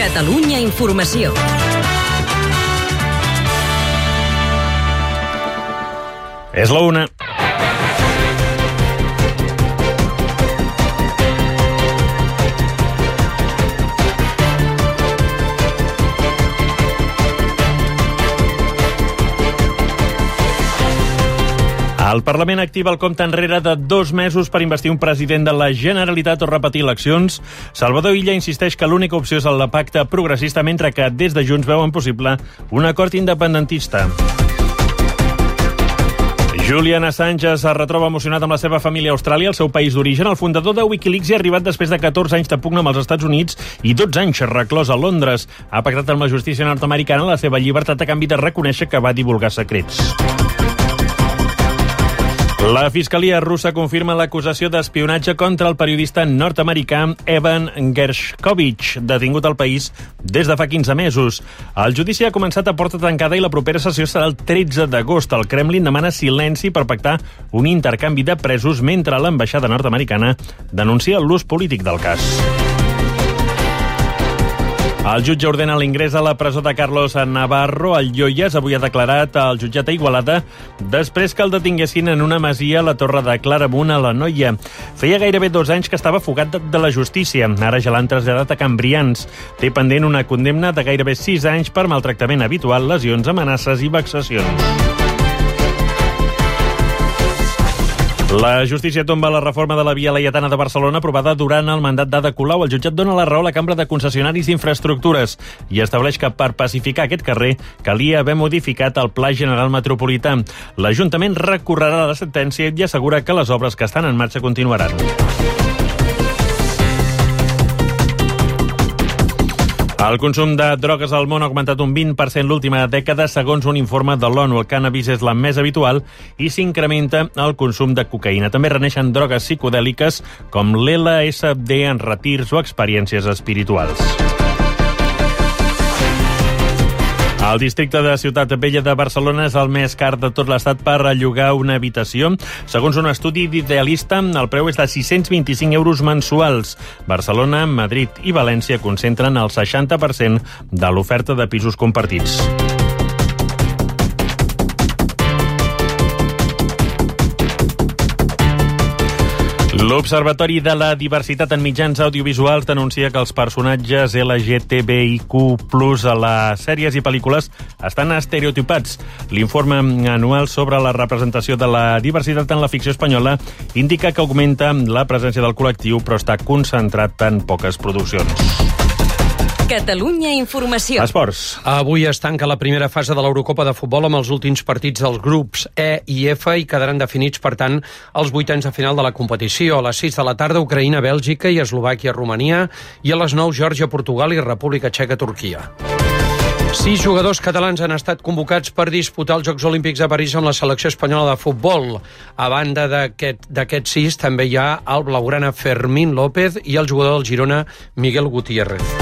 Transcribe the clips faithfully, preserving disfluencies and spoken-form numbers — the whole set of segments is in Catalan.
Catalunya Informació. És la una. El Parlament activa el compte enrere de dos mesos per investir un president de la Generalitat o repetir eleccions. Salvador Illa insisteix que l'única opció és el pacte progressista, mentre que des de Junts veuen possible un acord independentista. Julian Assange es retroba emocionat amb la seva família a Austràlia, el seu país d'origen. El fundador de Wikileaks hi ha arribat després de catorze anys de pugna amb els Estats Units i dotze anys reclòs a Londres. Ha pactat amb la justícia nord-americana la seva llibertat a canvi de reconèixer que va divulgar secrets. La Fiscalia russa confirma l'acusació d'espionatge contra el periodista nord-americà Evan Gershkovich, detingut al país des de fa quinze mesos. El judici ha començat a porta tancada i la propera sessió serà el tretze d'agost. El Kremlin demana silenci per pactar un intercanvi de presos mentre l'ambaixada nord-americana denuncia l'ús polític del cas. El jutge ordena l'ingrés a la presó de Carlos Navarro. El Lloyes avui ha declarat al jutjat a Igualada després que el detinguessin en una masia a la Torre de Claramunt, a l'Anoia. Feia gairebé dos anys que estava fugat de, de la justícia. Ara ja l'han traslladat a Can Brians. Té pendent una condemna de gairebé sis anys per maltractament habitual, lesions, amenaces i vexacions. La justícia tomba la reforma de la Via Laietana de Barcelona aprovada durant el mandat d'Ada Colau. El jutjat dona la raó a la Cambra de Concessionaris d'Infraestructures i estableix que per pacificar aquest carrer calia haver modificat el Pla General Metropolità. L'Ajuntament recorrerà la sentència i assegura que les obres que estan en marxa continuaran. El consum de drogues al món ha augmentat un vint per cent l'última dècada, segons un informe de l'ONU. El cànnabis és la més habitual i s'incrementa el consum de cocaïna. També reneixen drogues psicodèliques com l'L S D en retirs o experiències espirituals. El districte de Ciutat Vella de Barcelona és el més car de tot l'estat per llogar una habitació. Segons un estudi d'Idealista, el preu és de sis-cents vint-i-cinc euros mensuals. Barcelona, Madrid i València concentren el seixanta per cent de l'oferta de pisos compartits. L'Observatori de la Diversitat en Mitjans Audiovisuals denuncia que els personatges L G T B I Q plus a les sèries i pel·lícules estan estereotipats. L'informe anual sobre la representació de la diversitat en la ficció espanyola indica que augmenta la presència del col·lectiu, però està concentrat en poques produccions. Catalunya Informació. Esports. Avui es tanca la primera fase de l'Eurocopa de futbol amb els últims partits dels grups E i F i quedaran definits, per tant, els vuitens de final de la competició. A les sis de la tarda, Ucraïna, Bèlgica i Eslovàquia, Romania, i a les nou, Geòrgia, Portugal i República Txeca, Turquia. Sis jugadors catalans han estat convocats per disputar els Jocs Olímpics de París amb la selecció espanyola de futbol. A banda d'aquests aquest sis, també hi ha el blaugrana Fermín López i el jugador del Girona, Miguel Gutiérrez.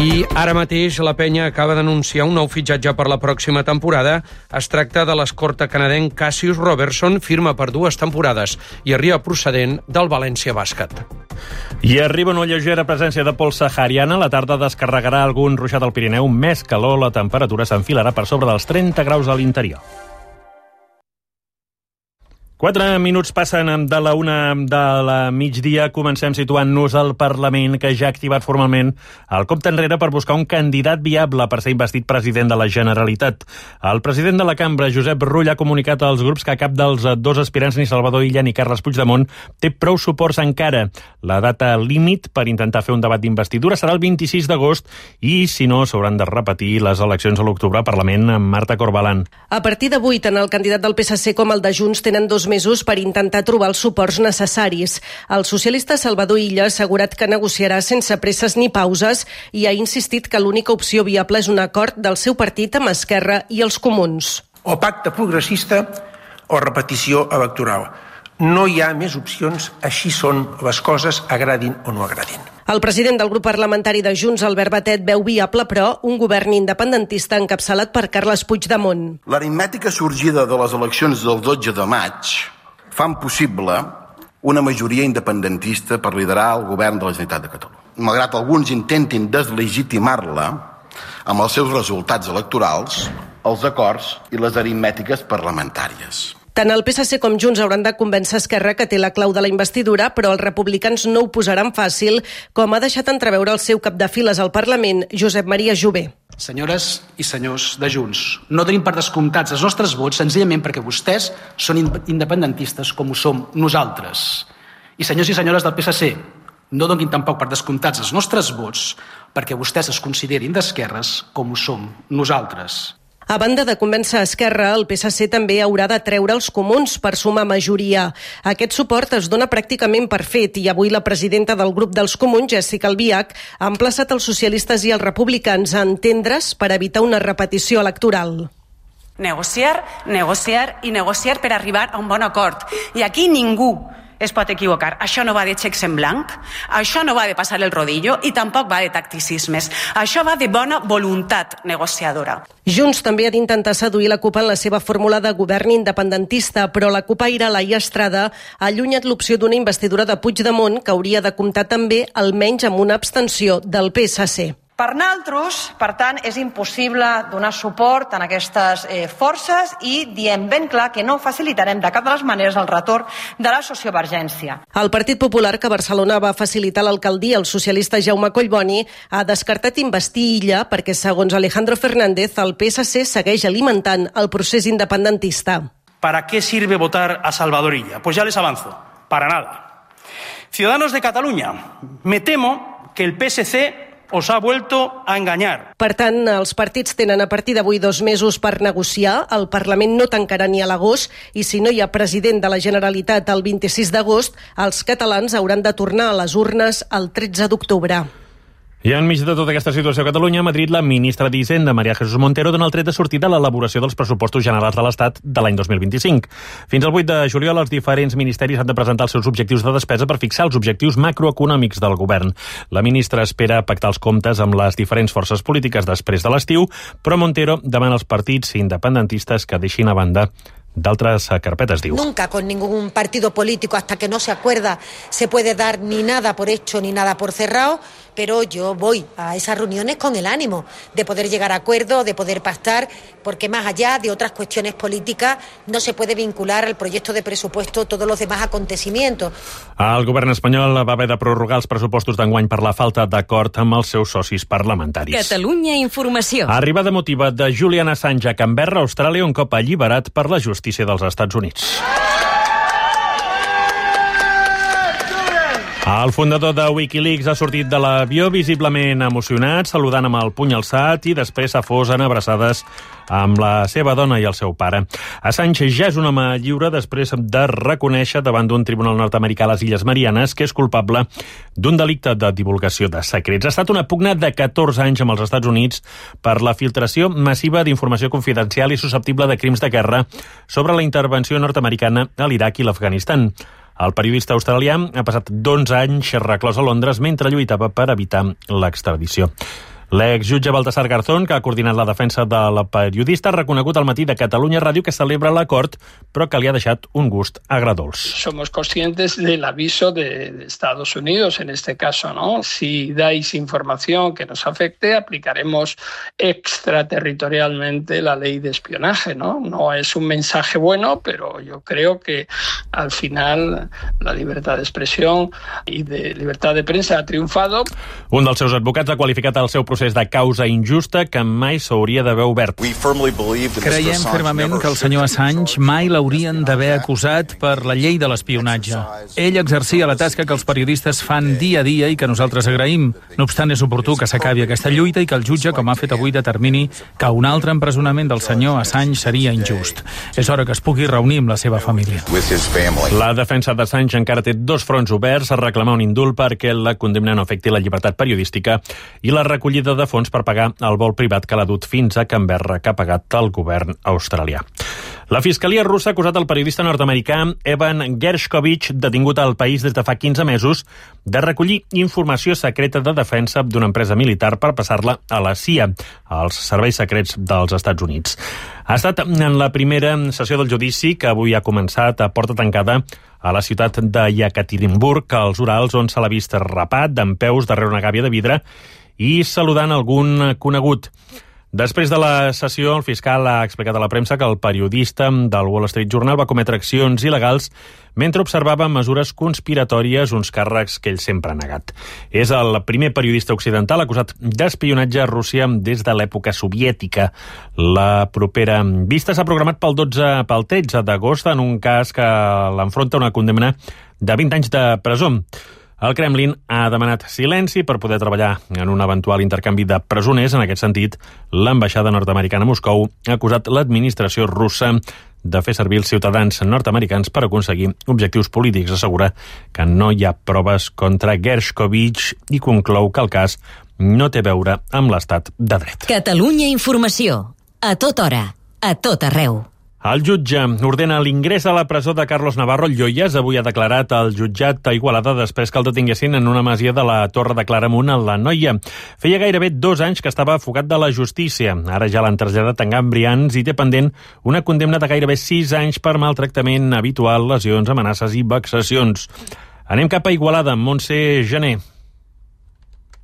I ara mateix la penya acaba d'anunciar un nou fitxatge per la pròxima temporada. Es tracta de l'escorta canadenc Cassius Robertson, firma per dues temporades i arriba procedent del València Bàsquet. I arriba una lleugera presència de pols sahariana. La tarda descarregarà algun ruixat al Pirineu. Més calor, la temperatura s'enfilarà per sobre dels trenta graus a l'interior. Quatre minuts passen de la una de la migdia. Comencem situant-nos al Parlament, que ja ha activat formalment el compte enrere per buscar un candidat viable per ser investit president de la Generalitat. El president de la Cambra, Josep Rull, ha comunicat als grups que cap dels dos aspirants, ni Salvador Illa ni Carles Puigdemont, té prou suports encara. La data límit per intentar fer un debat d'investidura serà el vint-i-sis d'agost i, si no, s'hauran de repetir les eleccions a l'octubre al Parlament amb Marta Corbalan. A partir d'avui, tant el candidat del P S C com el de Junts tenen dos mesos per intentar trobar els suports necessaris. El socialista Salvador Illa ha assegurat que negociarà sense presses ni pauses i ha insistit que l'única opció viable és un acord del seu partit amb Esquerra i els Comuns. O pacte progressista o repetició electoral. No hi ha més opcions, així són les coses, agradin o no agradin. El president del grup parlamentari de Junts, Albert Batet, veu viable, però, un govern independentista encapçalat per Carles Puigdemont. L'aritmètica sorgida de les eleccions del dotze de maig fan possible una majoria independentista per liderar el govern de la Generalitat de Catalunya. Malgrat alguns intentin deslegitimar-la amb els seus resultats electorals, els acords i les aritmètiques parlamentàries. Tant el P S C com Junts hauran de convèncer Esquerra que té la clau de la investidura, però els republicans no ho posaran fàcil, com ha deixat entreveure el seu cap de files al Parlament, Josep Maria Jové. Senyores i senyors de Junts, no tenim per descomptats els nostres vots senzillament perquè vostès són independentistes com ho som nosaltres. I senyors i senyores del P S C, no donin tampoc per descomptats els nostres vots perquè vostès es considerin d'esquerres com ho som nosaltres. A banda de convèncer Esquerra, el P S C també haurà de treure els comuns per sumar majoria. Aquest suport es dona pràcticament per fet i avui la presidenta del grup dels comuns, Jessica Albiach, ha emplaçat els socialistes i els republicans a entendre's per evitar una repetició electoral. Negociar, negociar i negociar per arribar a un bon acord. I aquí ningú es pot equivocar. Això no va de xecs en blanc, això no va de passar el rodillo i tampoc va de tacticismes. Això va de bona voluntat negociadora. Junts també ha d'intentar seduir la CUP en la seva fórmula de govern independentista, però la CUPaire Laia Estrada ha allunyat l'opció d'una investidura de Puigdemont que hauria de comptar també almenys amb una abstenció del P S C. Per nosaltres, per tant, és impossible donar suport a aquestes eh, forces i diem ben clar que no facilitarem de cap de les maneres el retorn de la sociovergència. El Partit Popular, que a Barcelona va facilitar l'alcaldia al socialista Jaume Collboni, ha descartat investir Illa perquè, segons Alejandro Fernández, el P S C segueix alimentant el procés independentista. ¿Para qué sirve votar a Salvador Illa? Pues ya les avanzo, para nada. Ciudadanos de Cataluña, me temo que el P S C os ha vuelto a engañar. Per tant, els partits tenen a partir d'avui dos mesos per negociar. El Parlament no tancarà ni a l'agost i si no hi ha president de la Generalitat el vint-i-sis d'agost, els catalans hauran de tornar a les urnes el tretze d'octubre. I enmig de tota aquesta situació a Catalunya, a Madrid, la ministra d'Hisenda, María Jesús Montero, dona el tret de sortida a l'elaboració dels pressupostos generals de l'Estat de l'any dos mil vint-i-cinc. Fins al vuit de juliol, els diferents ministeris han de presentar els seus objectius de despesa per fixar els objectius macroeconòmics del govern. La ministra espera pactar els comptes amb les diferents forces polítiques després de l'estiu, però Montero demana als partits independentistes que deixin a banda d'altres carpetes, diu. Nunca con ningún partido político, hasta que no se acuerda, se puede dar ni nada por hecho ni nada por cerrado, pero yo voy a esas reuniones con el ánimo de poder llegar a acuerdos, de poder pactar, porque más allá de otras cuestiones políticas no se puede vincular al proyecto de presupuesto todos los demás acontecimientos. El govern espanyol va haver de prorrogar els pressupostos d'enguany per la falta d'acord amb els seus socis parlamentaris. Catalunya Informació. Arribada emotiva de Julian Assange a Canberra, Austràlia, un cop alliberat per la justícia dels Estats Units. El fundador de Wikileaks ha sortit de l'avió visiblement emocionat, saludant amb el puny alçat i després s'afosen abraçades amb la seva dona i el seu pare. Assange ja és un home lliure després de reconèixer davant d'un tribunal nord-americà a les Illes Marianes que és culpable d'un delicte de divulgació de secrets. Ha estat una pugna de catorze anys amb els Estats Units per la filtració massiva d'informació confidencial i susceptible de crims de guerra sobre la intervenció nord-americana a l'Iraq i l'Afganistan. El periodista australià ha passat dotze anys reclòs a Londres mentre lluitava per evitar l'extradició. L'exjutge Baltasar Garzón, que ha coordinat la defensa de la periodista, ha reconegut al matí de Catalunya Ràdio que celebra l'acord, però que li ha deixat un gust agradolç. Somos conscientes del aviso de, de Estados Unidos, en este caso, ¿no? Si dais información que nos afecte, aplicaremos extraterritorialmente la ley de espionaje, ¿no? No es un mensaje bueno, pero yo creo que al final la libertad de expresión y de libertad de prensa ha triunfado. Un dels seus advocats ha qualificat el seu procés de causa injusta que mai s'hauria d'haver obert. Creiem fermament que el senyor Assange mai l'haurien d'haver acusat per la llei de l'espionatge. Ell exercia la tasca que els periodistes fan dia a dia i que nosaltres agraïm. No obstant, és oportú que s'acabi aquesta lluita i que el jutge, com ha fet avui, determini que un altre empresonament del senyor Assange seria injust. És hora que es pugui reunir amb la seva família. La defensa d'Assange encara té dos fronts oberts a reclamar un indult perquè la condemna no afecti la llibertat periodística i la recollida de fons per pagar el vol privat que l'ha dut fins a Canberra, que ha pagat el govern australià. La Fiscalia russa ha acusat el periodista nord-americà Evan Gershkovich, detingut al país des de fa quinze mesos, de recollir informació secreta de defensa d'una empresa militar per passar-la a la C I A, als serveis secrets dels Estats Units. Ha estat en la primera sessió del judici, que avui ha començat a porta tancada a la ciutat de Yekaterinburg, als Urals, on se l'ha vist rapat, dempeus darrere una gàbia de vidre i saludant algun conegut. Després de la sessió, el fiscal ha explicat a la premsa que el periodista del Wall Street Journal va cometre accions il·legals mentre observava mesures conspiratòries, uns càrrecs que ell sempre ha negat. És el primer periodista occidental acusat d'espionatge a Rússia des de l'època soviètica. La propera vista s'ha programat pel dotze, pel tretze d'agost en un cas que l'enfronta una condemna de vint anys de presó. El Kremlin ha demanat silenci per poder treballar en un eventual intercanvi de presoners. En aquest sentit, l'ambaixada nord-americana a Moscou ha acusat l'administració russa de fer servir els ciutadans nord-americans per aconseguir objectius polítics. Assegura que no hi ha proves contra Gershkovich i conclou que el cas no té a veure amb l'estat de dret. Catalunya Informació. A tota hora. A tot arreu. El jutge ordena l'ingrés a la presó de Carlos Navarro Lloyes. Avui ha declarat al jutjat a Igualada després que el detinguessin en una masia de la Torre de Claramunt, a la Noia. Feia gairebé dos anys que estava fugat de la justícia. Ara ja l'han traslladat a Gambrians i té pendent una condemna de gairebé sis anys per maltractament habitual, lesions, amenaces i vexacions. Anem cap a Igualada, Montse Gené.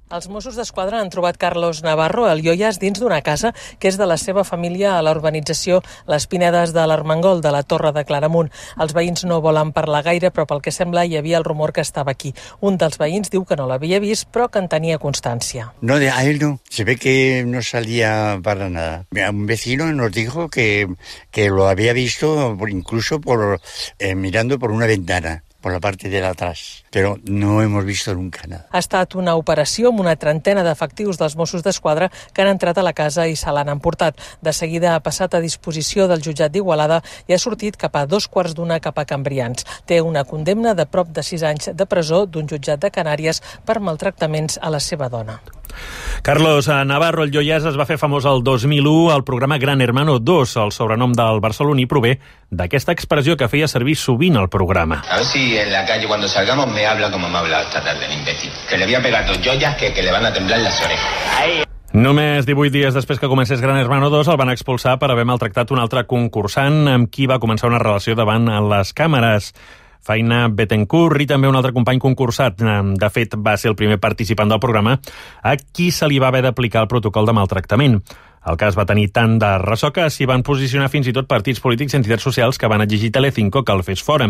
Els Mossos d'Esquadra han trobat Carlos Navarro al Lloyes dins d'una casa que és de la seva família a la urbanització Les Pinedes de l'Armengol, de la Torre de Claramunt. Els veïns no volen parlar gaire, però pel que sembla hi havia el rumor que estava aquí. Un dels veïns diu que no l'havia vist, però que en tenia constància. No, a él no. Se ve que no salía para nada. Un vecino nos dijo que, que lo había visto incluso por, eh, mirando por una ventana. por la parte de atrás, pero no hemos visto nunca nada. Ha estat una operació amb una trentena d'efectius dels Mossos d'Esquadra que han entrat a la casa i se l'han emportat. De seguida ha passat a disposició del jutjat d'Igualada i ha sortit cap a dos quarts d'una cap a Cambrians. Té una condemna de prop de sis anys de presó d'un jutjat de Canàries per maltractaments a la seva dona. Carlos Navarro el Lloyes es va fer famós el dos mil u al programa Gran Hermano dos. El sobrenom del barceloní prové d'aquesta expressió que feia servir sovint al programa. A ver si en la calle cuando salgamos me habla como me ha hablado esta tarde el imbécil. Que le voy a pegar dos joyas que, que le van a temblar las orejas. Ahí. Només divuit dies després que comencés Gran Hermano dos el van expulsar per haver maltractat un altre concursant amb qui va començar una relació davant les càmeres. Faina Bettencourt i també un altre company concursat. De fet, va ser el primer participant del programa a qui se li va haver d'aplicar el protocol de maltractament. El cas va tenir tant de ressò que s'hi van posicionar fins i tot partits polítics i entitats socials que van exigir Telecinco que el fes fora.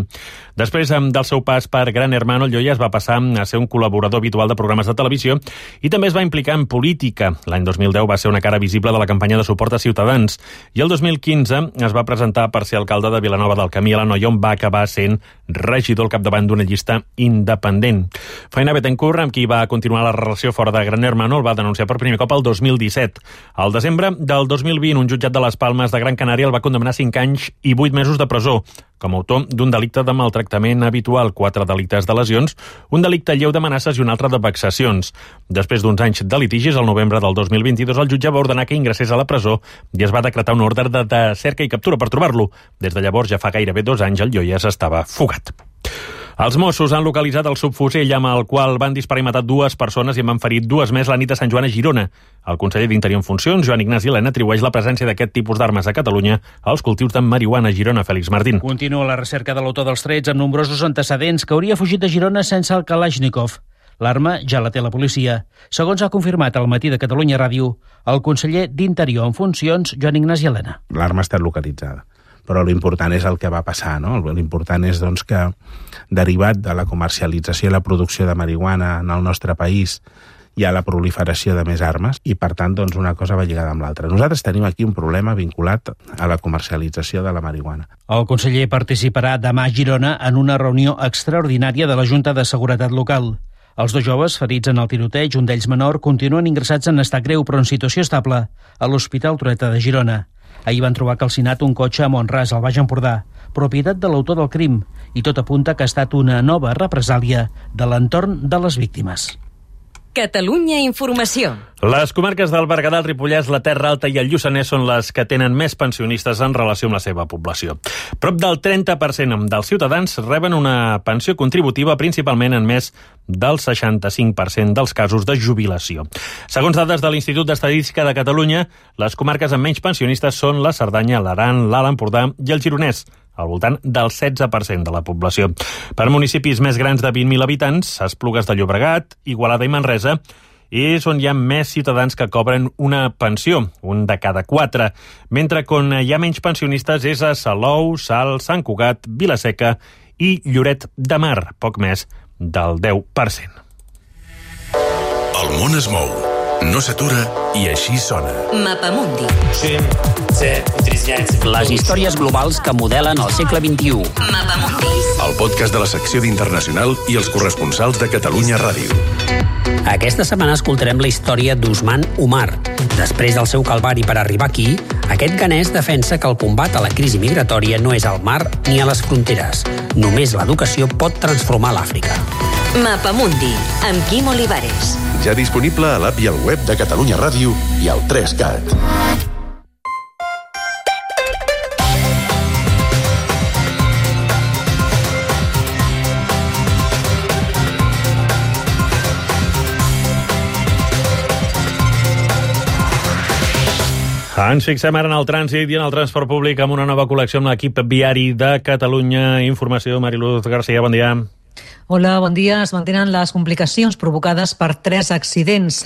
Després del seu pas per Gran Hermano, el Lloyes va passar a ser un col·laborador habitual de programes de televisió i també es va implicar en política. L'any dos mil deu va ser una cara visible de la campanya de suport a Ciutadans i el dos mil quinze es va presentar per ser alcalde de Vilanova del Camí a l'Anoia, on va acabar sent regidor al capdavant d'una llista independent. Faina Bettencourt, amb qui va continuar la relació fora de Gran Hermano, el va denunciar per primer cop el dos mil disset. Al desembre del dos mil vint, un jutjat de les Palmes de Gran Canària el va condemnar a cinc anys i vuit mesos de presó com a autor d'un delicte de maltractament habitual, quatre delictes de lesions, un delicte lleu d'amenaces i un altre de vexacions. Després d'uns anys de litigis, al novembre del dos mil vint-i-dos, el jutge va ordenar que ingressés a la presó i es va decretar un ordre de, de cerca i captura per trobar-lo. Des de llavors, ja fa gairebé dos anys, el Lloyes estava fugat. Els Mossos han localitzat el subfusell amb el qual van disparar i matar dues persones i en van ferir dues més la nit a Sant Joan a Girona. El conseller d'Interior en funcions, Joan Ignasi Elena, atribueix la presència d'aquest tipus d'armes a Catalunya als cultius de marihuana a Girona. Fèlix Martín. Continua la recerca de l'autor dels trets amb nombrosos antecedents que hauria fugit de Girona sense el Kalashnikov. L'arma ja la té la policia. Segons ha confirmat al Matí de Catalunya Ràdio el conseller d'Interior en funcions, Joan Ignasi Elena. L'arma ha estat localitzada, però l'important és el que va passar, no? L'important és doncs, que, derivat de la comercialització i la producció de marihuana en el nostre país, hi ha la proliferació de més armes i, per tant, doncs, una cosa va lligada amb l'altra. Nosaltres tenim aquí un problema vinculat a la comercialització de la marihuana. El conseller participarà demà a Girona en una reunió extraordinària de la Junta de Seguretat Local. Els dos joves ferits en el tiroteig, un d'ells menor, continuen ingressats en estat greu però en situació estable a l'Hospital Trueta de Girona. Ahir van trobar calcinat un cotxe a Mont-ras, al Baix Empordà, propietat de l'autor del crim, i tot apunta que ha estat una nova represàlia de l'entorn de les víctimes. Catalunya Informació. Les comarques del Berguedà, el Ripollès, la Terra Alta i el Lluçanès són les que tenen més pensionistes en relació amb la seva població. Prop del trenta per cent dels ciutadans reben una pensió contributiva, principalment en més del seixanta-cinc per cent dels casos de jubilació. Segons dades de l'Institut d'Estadística de Catalunya, les comarques amb menys pensionistes són la Cerdanya, l'Aran, l'Alt Empordà i el Gironès, al voltant del setze per cent de la població. Per municipis més grans de vint mil habitants, Esplugues de Llobregat, Igualada i Manresa, és on hi ha més ciutadans que cobren una pensió, un de cada quatre, mentre que on hi ha menys pensionistes és a Salou, Salt, Sant Cugat, Vilaseca i Lloret de Mar, poc més del deu per cent. El món es mou, no s'atura i així sona. Mapamundi. Les històries globals que modelen el segle vint-i-u. Mapamundi. El podcast de la secció d'Internacional i els corresponsals de Catalunya Ràdio. Aquesta setmana escoltarem la història d'Usman Umar. Després del seu calvari per arribar aquí, aquest ganès defensa que el combat a la crisi migratòria no és al mar ni a les fronteres. Només l'educació pot transformar l'Àfrica. Mapamundi, amb Quim Olivares. Ja disponible a l'app i al web de Catalunya Ràdio i al tres cat. Ens fixem ara en el trànsit i en el transport públic amb una nova col·lecció amb l'equip viari de Catalunya Informació. Mariluz García, bon dia. Hola, bon dia. Es mantenen les complicacions provocades per tres accidents.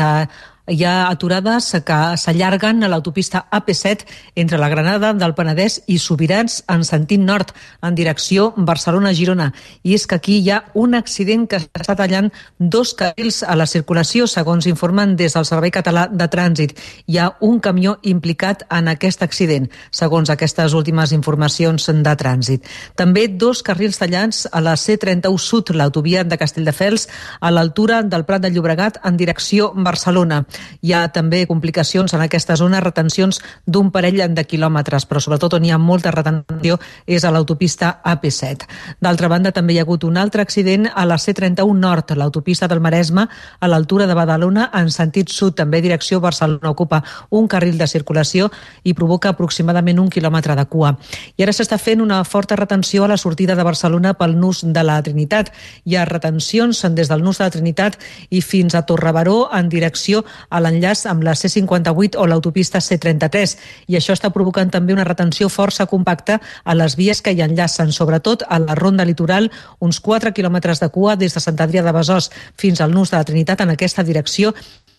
Hi ha aturades que s'allarguen a l'autopista A P set entre la Granada del Penedès i Subirats en sentit nord, en direcció Barcelona-Girona. I és que aquí hi ha un accident que està tallant dos carrils a la circulació, segons informen des del Servei Català de Trànsit. Hi ha un camió implicat en aquest accident, segons aquestes últimes informacions de trànsit. També dos carrils tallats a la C trenta-u Sud, l'autovia de Castelldefels, a l'altura del Prat de Llobregat en direcció Barcelona. Hi ha també complicacions en aquesta zona, retencions d'un parell de quilòmetres, però sobretot on hi ha molta retenció és a l'autopista A P set. D'altra banda, també hi ha hagut un altre accident a la C trenta-u Nord, l'autopista del Maresme, a l'altura de Badalona, en sentit sud, també direcció Barcelona. Ocupa un carril de circulació i provoca aproximadament un quilòmetre de cua. I ara s'està fent una forta retenció a la sortida de Barcelona pel nus de la Trinitat. Hi ha retencions des del nus de la Trinitat i fins a Torrebaró en direcció a l'enllaç amb la C cinquanta-vuit o l'autopista C trenta-tres. I això està provocant també una retenció força compacta a les vies que hi enllacen, sobretot a la Ronda Litoral, uns quatre quilòmetres de cua des de Sant Adrià de Besòs fins al nus de la Trinitat en aquesta direcció.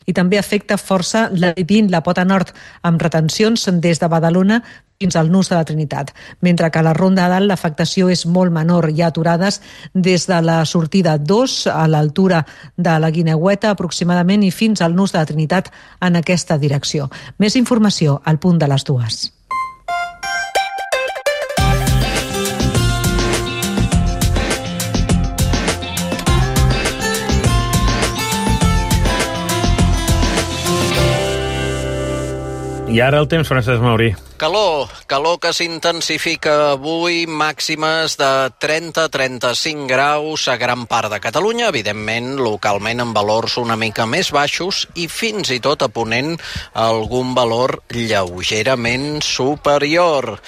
I també afecta força la vint, la pota nord, amb retencions des de Badalona fins al nus de la Trinitat. Mentre que a la Ronda de Dalt l'afectació és molt menor. Hi ha aturades des de la sortida dos a l'altura de la Guineueta aproximadament i fins al nus de la Trinitat en aquesta direcció. Més informació al punt de les dues. I ara el temps, Francesc Mauri. Calor, calor que s'intensifica avui, màximes de trenta a trenta-cinc graus a gran part de Catalunya, evidentment, localment amb valors una mica més baixos i fins i tot a Ponent algun valor lleugerament superior.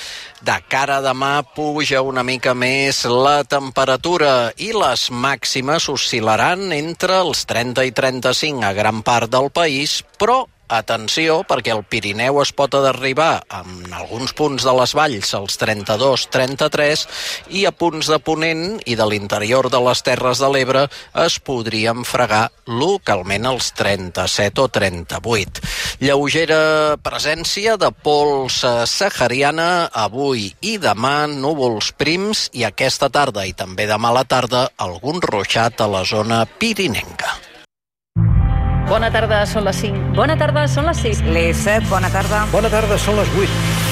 De cara a demà puja una mica més la temperatura i les màximes oscil·laran entre els trenta i trenta-cinc a gran part del país, però atenció, perquè el Pirineu es pot arribar en alguns punts de les valls als trenta-dos a trenta-tres i a punts de Ponent i de l'interior de les Terres de l'Ebre es podrien fregar localment als trenta-set o trenta-vuit. Lleugera presència de pols sahariana avui i demà, núvols prims i aquesta tarda i també demà a la tarda algun ruixat a la zona pirinenca. Bona tarda, són les cinc. Bona tarda, són les sis. Les set, bona tarda. Bona tarda, són les vuit.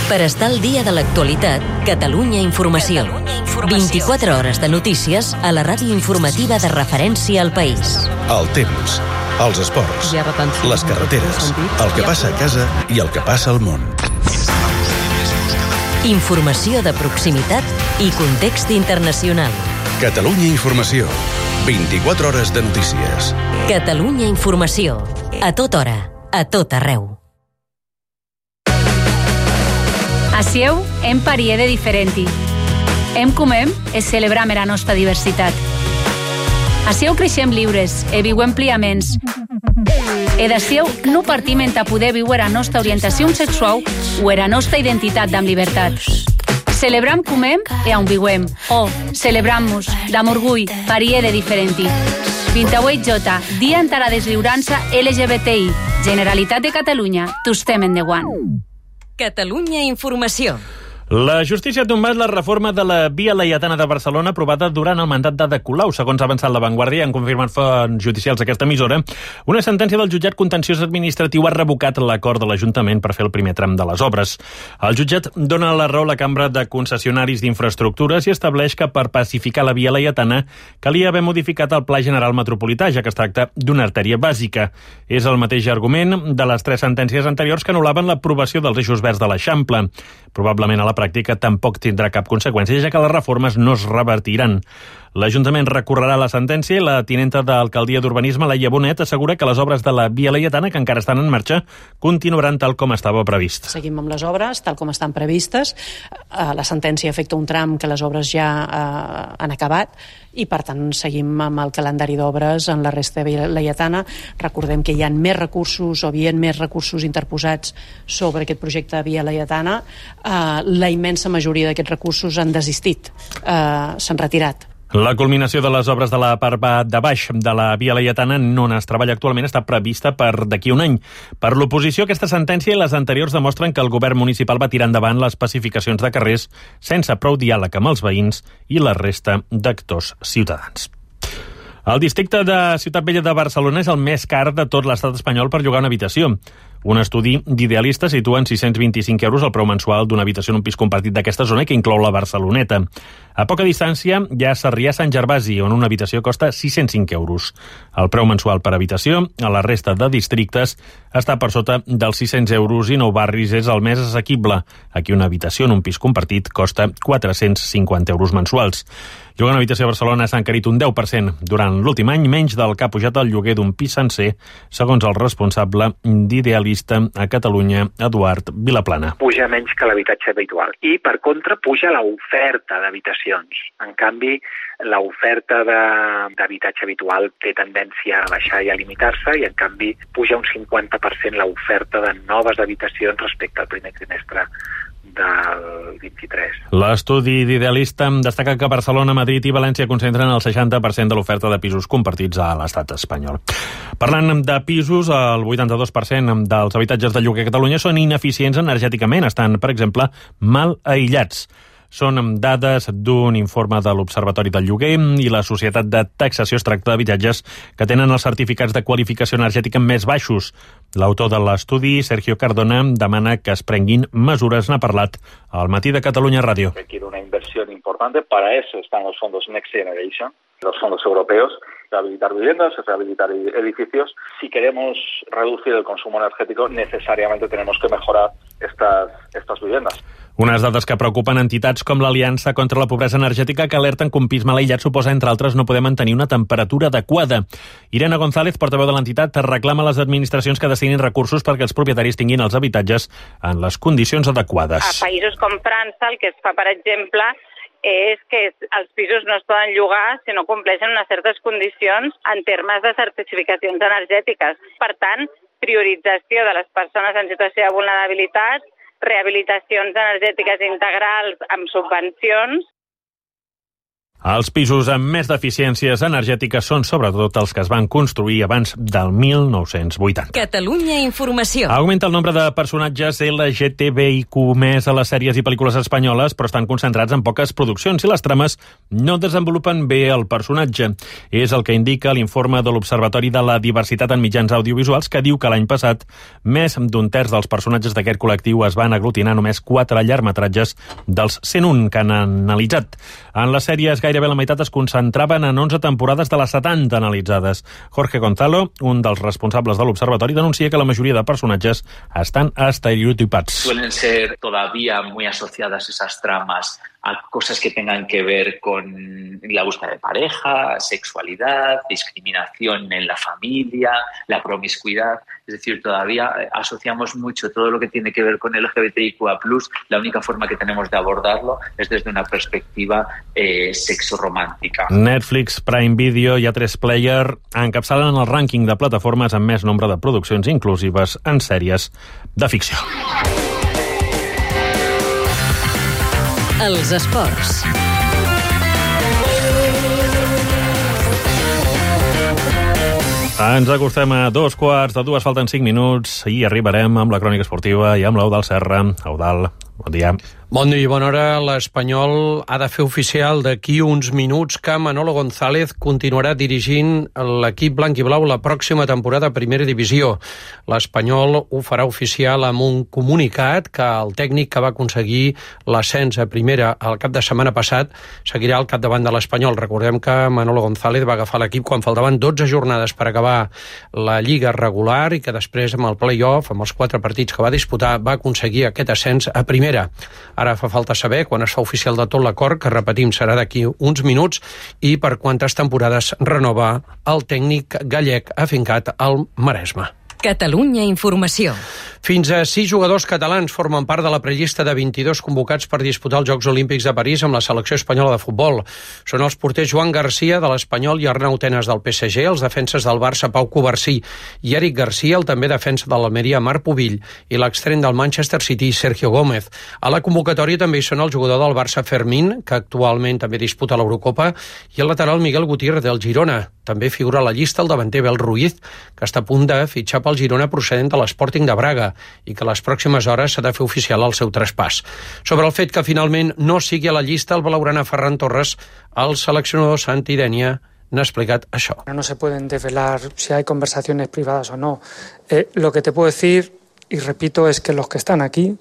Per estar al dia de l'actualitat, Catalunya Informació. vint-i-quatre hores de notícies a la ràdio informativa de referència al país. El temps, els esports, les carreteres, el que passa a casa i el que passa al món. Informació de proximitat i context internacional. Catalunya Informació, vint-i-quatre hores de notícies. Catalunya Informació. A tota hora, a tot arreu. Acieu em pariere differenti. Em comem e celebrem la nostra diversitat. Acieu creixem lliures e viuem pliaments. E d'acieu no partim en poder viure la nostra orientació sexual o la nostra identitat amb llibertat. Celebram comem e on viuem. O celebram-nos d'amor orgull, pariere differenti. vint-i-vuit J, Dia en la deslliurança L G B T I. Generalitat de Catalunya, tostem endavant. Catalunya Informació. La justícia ha tombat la reforma de la Via Laietana de Barcelona aprovada durant el mandat d'Ada Colau. Segons ha avançat La Vanguardia, han confirmat fonts judicials d'aquesta emissora, una sentència del jutjat contenciós administratiu ha revocat l'acord de l'Ajuntament per fer el primer tram de les obres. El jutjat dona la raó a la Cambra de Concessionaris d'Infraestructures i estableix que per pacificar la Via Laietana calia haver modificat el Pla General Metropolità, ja que es tracta d'una artèria bàsica. És el mateix argument de les tres sentències anteriors que anul·laven l'aprovació dels eixos verds de l'Eixample. Probablement a la pràctica tampoc tindrà cap conseqüència, ja que les reformes no es revertiran. L'Ajuntament recorrerà la sentència i la tinenta d'Alcaldia d'Urbanisme, Laia Bonet, assegura que les obres de la Via Laietana, que encara estan en marxa, continuaran tal com estava previst. Seguim amb les obres, tal com estan previstes. La sentència afecta un tram que les obres ja eh, han acabat i, per tant, seguim amb el calendari d'obres en la resta de Via Laietana. Recordem que hi ha més recursos o havien més recursos interposats sobre aquest projecte de Via Laietana. Eh, la immensa majoria d'aquests recursos han desistit, eh, s'han retirat. La culminació de les obres de la part de baix de la Via Laietana, on es treballa actualment, està prevista per d'aquí un any. Per l'oposició, aquesta sentència i les anteriors demostren que el govern municipal va tirar endavant les pacificacions de carrers sense prou diàleg amb els veïns i la resta d'actors ciutadans. El districte de Ciutat Vella de Barcelona és el més car de tot l'estat espanyol per llogar una habitació. Un estudi d'Idealista situa en sis-cents vint-i-cinc euros el preu mensual d'una habitació en un pis compartit d'aquesta zona, que inclou la Barceloneta. A poca distància hi ha Sarrià-Sant Gervasi, on una habitació costa sis-cents cinc euros. El preu mensual per habitació a la resta de districtes està per sota dels sis-cents euros i Nou Barris és el més assequible. Aquí una habitació en un pis compartit costa quatre-cents cinquanta euros mensuals. Llogar una habitació a Barcelona s'ha encarit un deu per cent durant l'últim any, menys del que ha pujat el lloguer d'un pis sencer, segons el responsable d'Idealista a Catalunya, Eduard Vilaplana. Puja menys que l'habitatge habitual i, per contra, puja l'oferta d'habitacions. En canvi, l'oferta d'habitatge habitual té tendència a baixar i a limitar-se i, en canvi, puja un cinquanta per cent l'oferta de noves habitacions respecte al primer trimestre del vint-i-tres. L'estudi d'Idealista destaca que Barcelona, Madrid i València concentren el seixanta per cent de l'oferta de pisos compartits a l'estat espanyol. Parlant de pisos, el vuitanta-dos per cent dels habitatges de lloguer a Catalunya són ineficients energèticament, estan, per exemple, mal aïllats. Són dades d'un informe de l'Observatori del Lloguer i la Societat de Taxació. Es tracta d'habitatges que tenen els certificats de qualificació energètica més baixos. L'autor de l'estudi, Sergio Cardona, demana que es prenguin mesures. N'ha parlat al Matí de Catalunya Ràdio. Requiere una inversión importante. Para eso están los fondos Next Generation, los fondos europeos. Rehabilitar viviendas, rehabilitar edificios. Si queremos reducir el consumo energético, necesariamente tenemos que mejorar estas, estas viviendas. Unes dades que preocupen entitats com l'Aliança contra la Pobresa Energètica, que alerten que un pis mal aïllat suposa, entre altres, no poder mantenir una temperatura adequada. Irene González, portaveu de l'entitat, reclama a les administracions que destinin recursos perquè els propietaris tinguin els habitatges en les condicions adequades. A països com França, el que es fa, per exemple, és que els pisos no es poden llogar si no compleixen unes certes condicions en termes de certificacions energètiques. Per tant, priorització de les persones en situació de vulnerabilitat, rehabilitacions energètiques integrals amb subvencions. Els pisos amb més deficiències energètiques són sobretot els que es van construir abans del mil nou-cents vuitanta. Catalunya Informació. Augmenta el nombre de personatges L G T B I Q més a les sèries i pel·lícules espanyoles, però estan concentrats en poques produccions i les trames no desenvolupen bé el personatge. És el que indica l'informe de l'Observatori de la Diversitat en Mitjans Audiovisuals, que diu que l'any passat més d'un terç dels personatges d'aquest col·lectiu es van aglutinar només quatre llargmetratges dels cent un que han analitzat. En les sèries gairebé la meitat es concentraven en onze temporades de les setanta analitzades. Jorge Gonzalo, un dels responsables de l'Observatori, denuncia que la majoria de personatges estan estereotipats. Suelen ser todavía muy asociadas esas tramas a cosas que tengan que ver con la búsqueda de pareja, sexualidad, discriminación en la familia, la promiscuidad. Es decir, todavía asociamos mucho todo lo que tiene que ver con el L G B T I Q A plus. La única forma que tenemos de abordarlo es desde una perspectiva eh, sexoromàntica. Netflix, Prime Video i A tres Player encapçalen el rànquing de plataformes amb més nombre de produccions inclusives en sèries de ficció. Els esports. Ens acostem a dos quarts de dues, falten cinc minuts i arribarem amb la crònica esportiva i amb l'Eudald Serra. Eudald, bon dia. Bon dia i bona hora. L'Espanyol ha de fer oficial d'aquí uns minuts que Manolo González continuarà dirigint l'equip blanc i blau la pròxima temporada a Primera Divisió. L'Espanyol ho farà oficial amb un comunicat que el tècnic que va aconseguir l'ascens a Primera el cap de setmana passat seguirà al capdavant de l'Espanyol. Recordem que Manolo González va agafar l'equip quan faltaven dotze jornades per acabar la Lliga regular i que després amb el play-off, amb els quatre partits que va disputar, va aconseguir aquest ascens a Primera. Ara fa falta saber quan es fa oficial de tot l'acord, que repetim serà d'aquí uns minuts, i per quantes temporades renova el tècnic gallec afincat al Maresme. Catalunya Informació. Fins a sis jugadors catalans formen part de la prellista de vint-i-dos convocats per disputar els Jocs Olímpics de París amb la selecció espanyola de futbol. Són els porters Joan Garcia, de l'Espanyol, i Arnau Tenas, del P S G, els defenses del Barça, Pau Covarsí, i Eric Garcia, el també defensa de l'Almeria, Marc Pubill, i l'extrem del Manchester City, Sergio Gómez. A la convocatòria també hi són el jugador del Barça, Fermín, que actualment també disputa l'Eurocopa, i el lateral Miguel Gutiérrez, del Girona. També figura a la llista el davanter Bel Ruiz, que està a punt de fitxar pel Girona procedent de l'Sporting de Braga i que a les pròximes hores s'ha de fer oficial el seu traspàs. Sobre el fet que finalment no sigui a la llista el blaugrana Ferran Torres, el seleccionador Santi Denia n'ha explicat això. No se pueden desvelar si hay conversaciones privadas o no. Eh, lo que te puedo decir, y repito, es que los que están aquí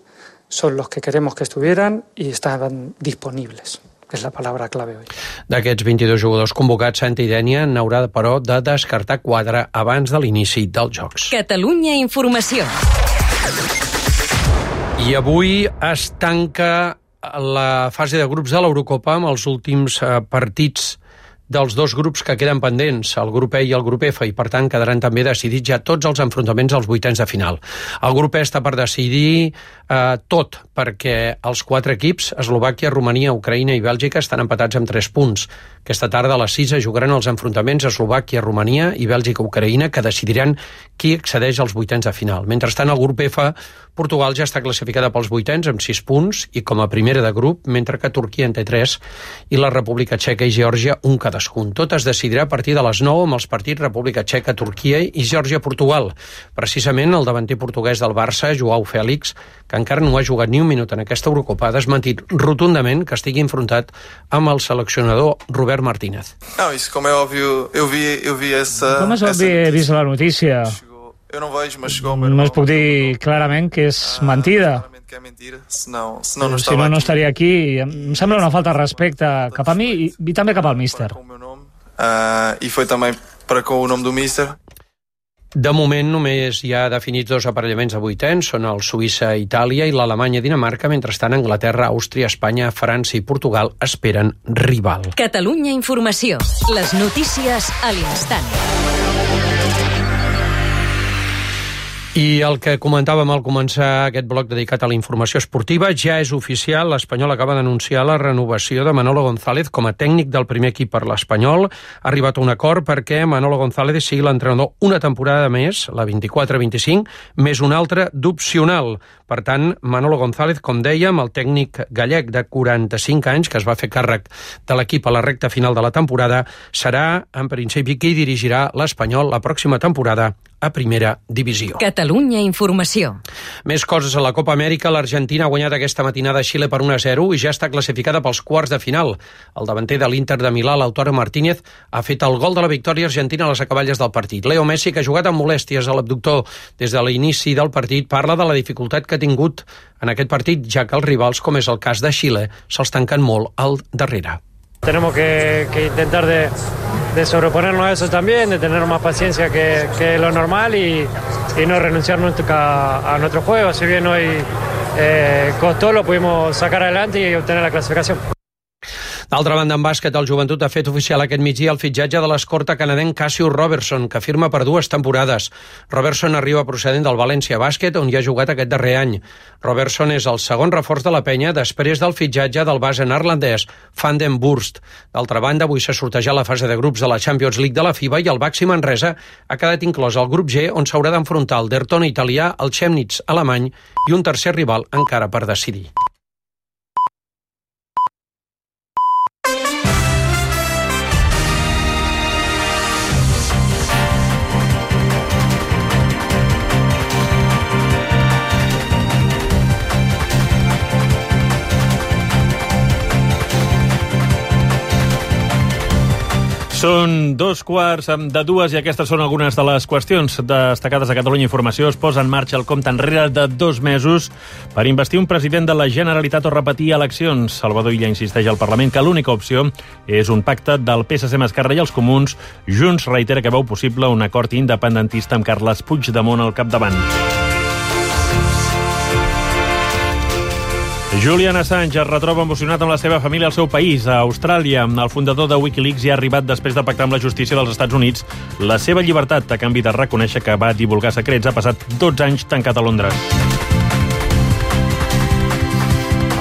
son los que queremos que estuvieran y estaban disponibles. És la paraula clave avui. D'aquests vint-i-dos jugadors convocats, Santi Denia n'haurà, però, de descartar quatre abans de l'inici dels Jocs. Catalunya Informació. I avui es tanca la fase de grups de l'Eurocopa amb els últims eh, partits dels dos grups que queden pendents, el grup E i el grup F, i per tant quedaran també decidits ja tots els enfrontaments als vuitens de final. El grup E està per decidir eh, tot, perquè els quatre equips, Eslovàquia, Romania, Ucraïna i Bèlgica, estan empatats amb tres punts. Aquesta tarda a les sis es jugaran els enfrontaments Eslovàquia, Romania i Bèlgica, Ucraïna, que decidiran qui accedeix als vuitens de final. Mentrestant, el grup F, Portugal ja està classificada pels vuitens amb sis punts i com a primera de grup, mentre que Turquia en té tres i la República Txeca i Geòrgia un cadascun. Tot es decidirà a partir de les nou amb els partits República Txeca, Turquia i Geòrgia-Portugal. Precisament el davanter portuguès del Barça, Joao Félix, que encara no ha jugat ni un minut en aquesta Eurocopa, ha desmentit rotundament que estigui enfrontat amb el seleccionador Robert Martínez. Não, isso como é óbvio, eu vi, eu vi essa... Com és obvi, he vist la notícia. Eu não vejo, mas chegou o meu No es puc dir clarament que és mentida. que é mentira, senão, senão não Si estava no, no aqui. estaria aquí. Em sembla una falta de respecte cap a mi i, i també cap al míster. Ah, e foi também para com o nome do míster. De moment només hi ha definits dos aparellaments de vuitens, són el Suïssa-Itàlia i l'Alemanya-Dinamarca, mentrestant Anglaterra, Àustria, Espanya, França i Portugal esperen rival. Catalunya Informació. Les notícies a l'instant. I el que comentàvem al començar aquest bloc dedicat a la informació esportiva, ja és oficial, l'Espanyol acaba d'anunciar la renovació de Manolo González com a tècnic del primer equip per l'Espanyol. Ha arribat a un acord perquè Manolo González sigui l'entrenador una temporada més, la vint-i-quatre vint-i-cinc, més una altra d'opcional. Per tant, Manolo González, com dèiem, el tècnic gallec de quaranta-cinc anys, que es va fer càrrec de l'equip a la recta final de la temporada, serà, en principi, qui dirigirà l'Espanyol la pròxima temporada a Primera Divisió. Catalunya Informació. Més coses a la Copa Amèrica. L'Argentina ha guanyat aquesta matinada a Xile per un a zero i ja està classificada pels quarts de final. El davanter de l'Inter de Milà, Lautaro Martínez, ha fet el gol de la victòria argentina a les acaballes del partit. Leo Messi, que ha jugat amb molèsties a l'abductor des de l'inici del partit, parla de la dificultat que ha tingut en aquest partit, ja que els rivals, com és el cas de Xile, se'ls tanquen molt al darrere. Tenemos que, que intentar de, de sobreponernos a eso también, de tener más paciencia que, que lo normal y, y no renunciar nunca a nuestro juego. Si bien hoy eh, costó, lo pudimos sacar adelante y obtener la clasificación. D'altra banda, en bàsquet, el Joventut ha fet oficial aquest migdia el fitxatge de l'escorta canadenc Cassius Robertson, que firma per dues temporades. Robertson arriba procedent del València Bàsquet, on hi ha jugat aquest darrer any. Robertson és el segon reforç de la penya després del fitxatge del base neerlandès Van den Burst. D'altra banda, avui s'ha sortejat la fase de grups de la Champions League de la FIBA i el Baxi Manresa ha quedat inclòs al grup G, on s'haurà d'enfrontar el Derton italià, el Chemnitz alemany i un tercer rival encara per decidir. Són dos quarts de dues i aquestes són algunes de les qüestions destacades a Catalunya Informació. Es posa en marxa el compte enrere de dos mesos per investir un president de la Generalitat o repetir eleccions. Salvador Illa insisteix al Parlament que l'única opció és un pacte del P S C amb Esquerra i els Comuns. Junts reitera que veu possible un acord independentista amb Carles Puigdemont al capdavant. Julian Assange es retroba emocionat amb la seva família al seu país, a Austràlia. El fundador de Wikileaks hi ha arribat després de pactar amb la justícia dels Estats Units la seva llibertat a canvi de reconèixer que va divulgar secrets. Ha passat dotze anys tancat a Londres.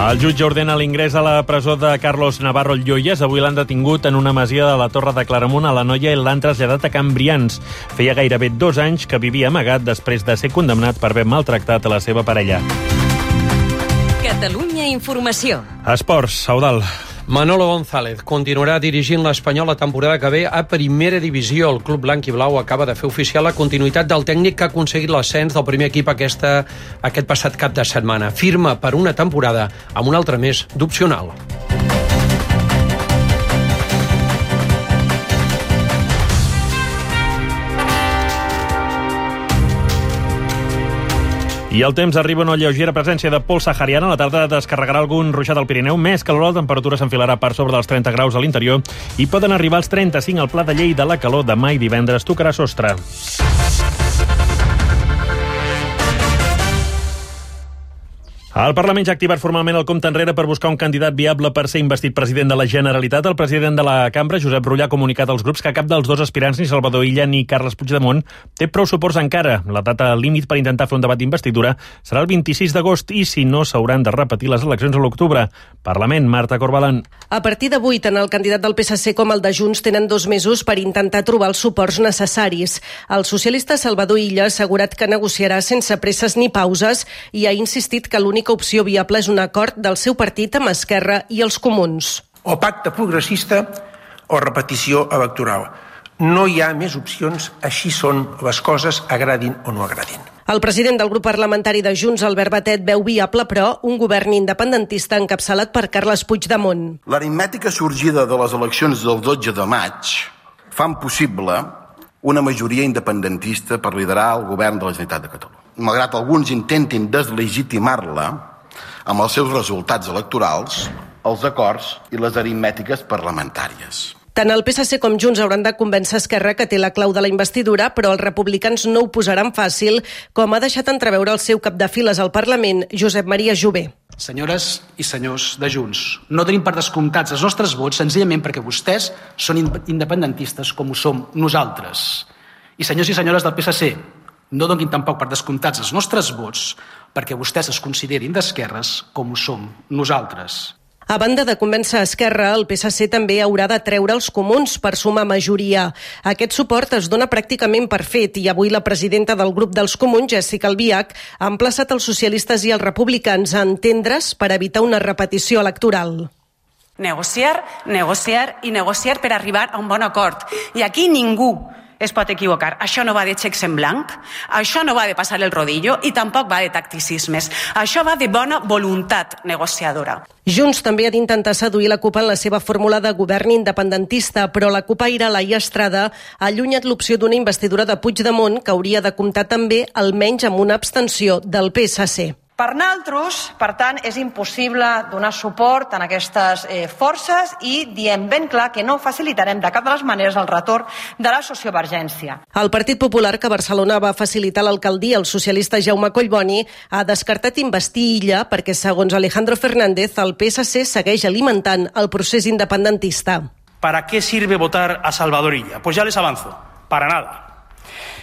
El jutge ordena l'ingrés a la presó de Carlos Navarro Lloyes. Avui l'han detingut en una masia de la Torre de Claramunt a l'Anoia i l'han traslladat a Can Brians. Feia gairebé dos anys que vivia amagat després de ser condemnat per haver maltractat a la seva parella. Catalunya Informació. Esports, Saudal. Manolo González continuarà dirigint l'Espanyol la temporada que ve a Primera Divisió. El club blanc i blau acaba de fer oficial la continuïtat del tècnic que ha aconseguit l'ascens del primer equip aquesta, aquest passat cap de setmana. Firma per una temporada amb un altre mes d'opcional. I el temps arriba una lleugera presència de pols sahariana. A la tarda descarregarà algun ruixat al Pirineu. Més calor, la temperatura s'enfilarà per sobre dels trenta graus a l'interior i poden arribar als trenta-cinc al Pla de Lleida. La calor demà i divendres tocarà sostre. El Parlament ja ha activat formalment el compte enrere per buscar un candidat viable per ser investit president de la Generalitat. El president de la cambra, Josep Rull, ha comunicat als grups que cap dels dos aspirants, ni Salvador Illa ni Carles Puigdemont, té prou suports encara. La data límit per intentar fer un debat d'investidura serà el vint-i-sis d'agost i, si no, s'hauran de repetir les eleccions a l'octubre. Parlament, Marta Corbalan. A partir d'avui, tant el candidat del P S C com el de Junts tenen dos mesos per intentar trobar els suports necessaris. El socialista Salvador Illa ha assegurat que negociarà sense presses ni pauses i ha insistit que l'única opció viable és un acord del seu partit amb Esquerra i els Comuns. O pacte progressista o repetició electoral. No hi ha més opcions, així són les coses, agradin o no agradin. El president del grup parlamentari de Junts, Albert Batet, veu viable, però, un govern independentista encapçalat per Carles Puigdemont. L'aritmètica sorgida de les eleccions del dotze de maig fan possible una majoria independentista per liderar el govern de la Generalitat de Catalunya. Malgrat alguns intentin deslegitimar-la amb els seus resultats electorals, els acords i les aritmètiques parlamentàries. Tant el P S C com Junts hauran de convèncer Esquerra que té la clau de la investidura, però els republicans no ho posaran fàcil, com ha deixat entreveure el seu cap de files al Parlament, Josep Maria Jové. Senyores i senyors de Junts, no tenim per descomptats els nostres vots senzillament perquè vostès són independentistes com ho som nosaltres. I senyors i senyores del P S C, no donin tampoc per descomptats els nostres vots perquè vostès es considerin d'esquerres com ho som nosaltres. A banda de convèncer Esquerra, el P S C també haurà de treure els Comuns per sumar majoria. Aquest suport es dona pràcticament per fet i avui la presidenta del grup dels Comuns, Jessica Albiach, ha emplaçat els socialistes i els republicans a entendre's per evitar una repetició electoral. Negociar, negociar i negociar per arribar a un bon acord. I aquí ningú es pot equivocar. Això no va de xecs en blanc, això no va de passar el rodillo i tampoc va de tacticismes. Això va de bona voluntat negociadora. Junts també ha d'intentar seduir la CUP en la seva fórmula de govern independentista, però la cupaire Laia Estrada ha allunyat l'opció d'una investidura de Puigdemont que hauria de comptar també almenys amb una abstenció del P S C. Per nosaltres, per tant, és impossible donar suport a aquestes eh, forces i diem ben clar que no facilitarem de cap de les maneres el retorn de la sociovergència. El Partit Popular, que a Barcelona va facilitar l'alcaldia, el socialista Jaume Collboni, ha descartat investir Illa perquè, segons Alejandro Fernández, el P S C segueix alimentant el procés independentista. ¿Para qué sirve votar a Salvador Illa? Pues ya les avanzo, para nada.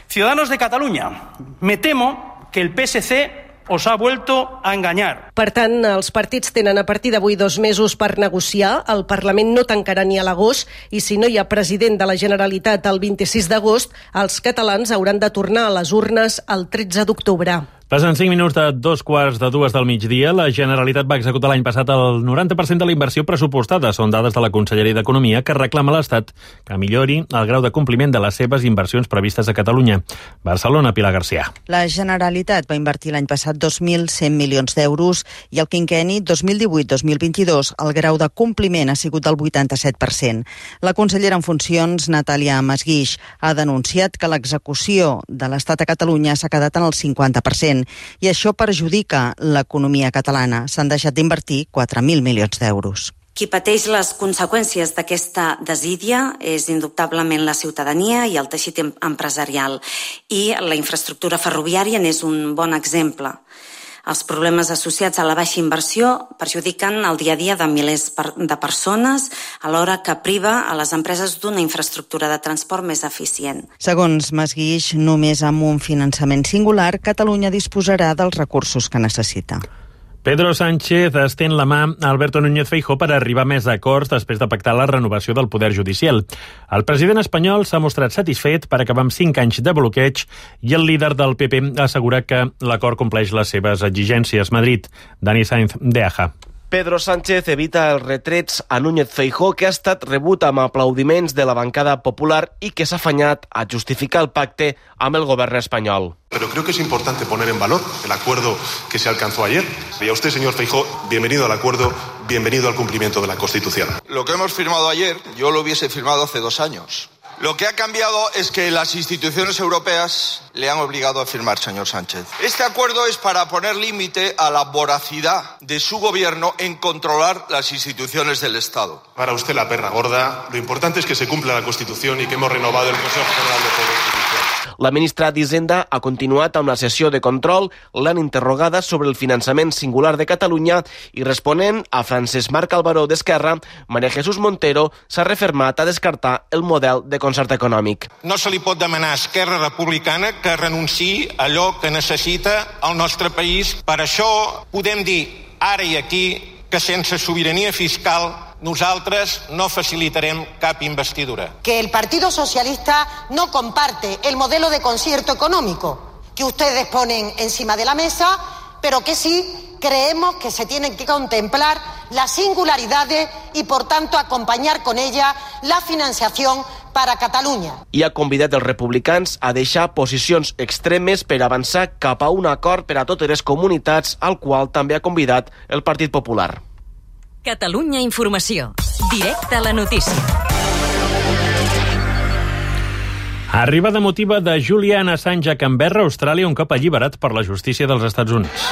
Ciudadanos de Cataluña, me temo que el P S C os ha vuelto a engañar. Per tant, els partits tenen a partir d'avui dos mesos per negociar. El Parlament no tancarà ni a l'agost i si no hi ha president de la Generalitat el vint-i-sis d'agost, els catalans hauran de tornar a les urnes el tretze d'octubre. Passen cinc minuts de dos quarts de dues del migdia. La Generalitat va executar l'any passat el noranta per cent de la inversió pressupostada. Són dades de la Conselleria d'Economia que reclama a l'Estat que millori el grau de compliment de les seves inversions previstes a Catalunya. Barcelona, Pilar García. La Generalitat va invertir l'any passat dos mil cent milions d'euros i el quinquenni dos mil divuit dos mil vint-i-dos el grau de compliment ha sigut del vuitanta-set per cent. La consellera en funcions, Natàlia Masguix, ha denunciat que l'execució de l'Estat a Catalunya s'ha quedat en el cinquanta per cent i això perjudica l'economia catalana. S'han deixat d'invertir quatre mil milions d'euros. Qui pateix les conseqüències d'aquesta desídia és indubtablement la ciutadania i el teixit empresarial, i la infraestructura ferroviària n'és un bon exemple. Els problemes associats a la baixa inversió perjudiquen el dia a dia de milers de persones, alhora que priva a les empreses d'una infraestructura de transport més eficient. Segons Masguix, només amb un finançament singular, Catalunya disposarà dels recursos que necessita. Pedro Sánchez estén la mà a Alberto Núñez Feijóo per arribar a més acords després de pactar la renovació del poder judicial. El president espanyol s'ha mostrat satisfet per acabar amb cinc anys de bloqueig i el líder del P P assegura que l'acord compleix les seves exigències. Madrid, Dani Sainz de Aja. Pedro Sánchez evita els retrets a Núñez Feijóo, que ha estat rebut amb aplaudiments de la bancada popular i que s'ha afanyat a justificar el pacte amb el govern espanyol. Pero creo que es importante poner en valor el acuerdo que se alcanzó ayer. Y a usted, señor Feijóo, bienvenido al acuerdo, bienvenido al cumplimiento de la Constitución. Lo que hemos firmado ayer, yo lo hubiese firmado hace dos años. Lo que ha cambiado es que las instituciones europeas le han obligado a firmar, señor Sánchez. Este acuerdo es para poner límite a la voracidad de su gobierno en controlar las instituciones del Estado. Para usted la perra gorda, lo importante es que se cumpla la Constitución y que hemos renovado el Consejo General de Poder Judicial. La ministra d'Hisenda ha continuat amb la sessió de control. L'han interrogada sobre el finançament singular de Catalunya i responent a Francesc Marc Albaró d'Esquerra, Maria Jesús Montero s'ha refermat a descartar el model de concert econòmic. No se li pot demanar a Esquerra Republicana que renunciï a allò que necessita el nostre país. Per això podem dir ara i aquí que sense sobirania fiscal nosaltres no facilitarem cap investidura. Que el Partido Socialista no comparte el modelo de concierto económico que ustedes ponen encima de la mesa, pero que sí creemos que se tienen que contemplar las singularidades y, por tanto, acompañar con ella la financiación para Catalunya. I ha convidat els republicans a deixar posicions extremes per avançar cap a un acord per a totes les comunitats, al qual també ha convidat el Partit Popular. Catalunya Informació. Directe a la notícia. Arribada emotiva de Julian Assange a Canberra, Austràlia, un cop alliberat per la justícia dels Estats Units.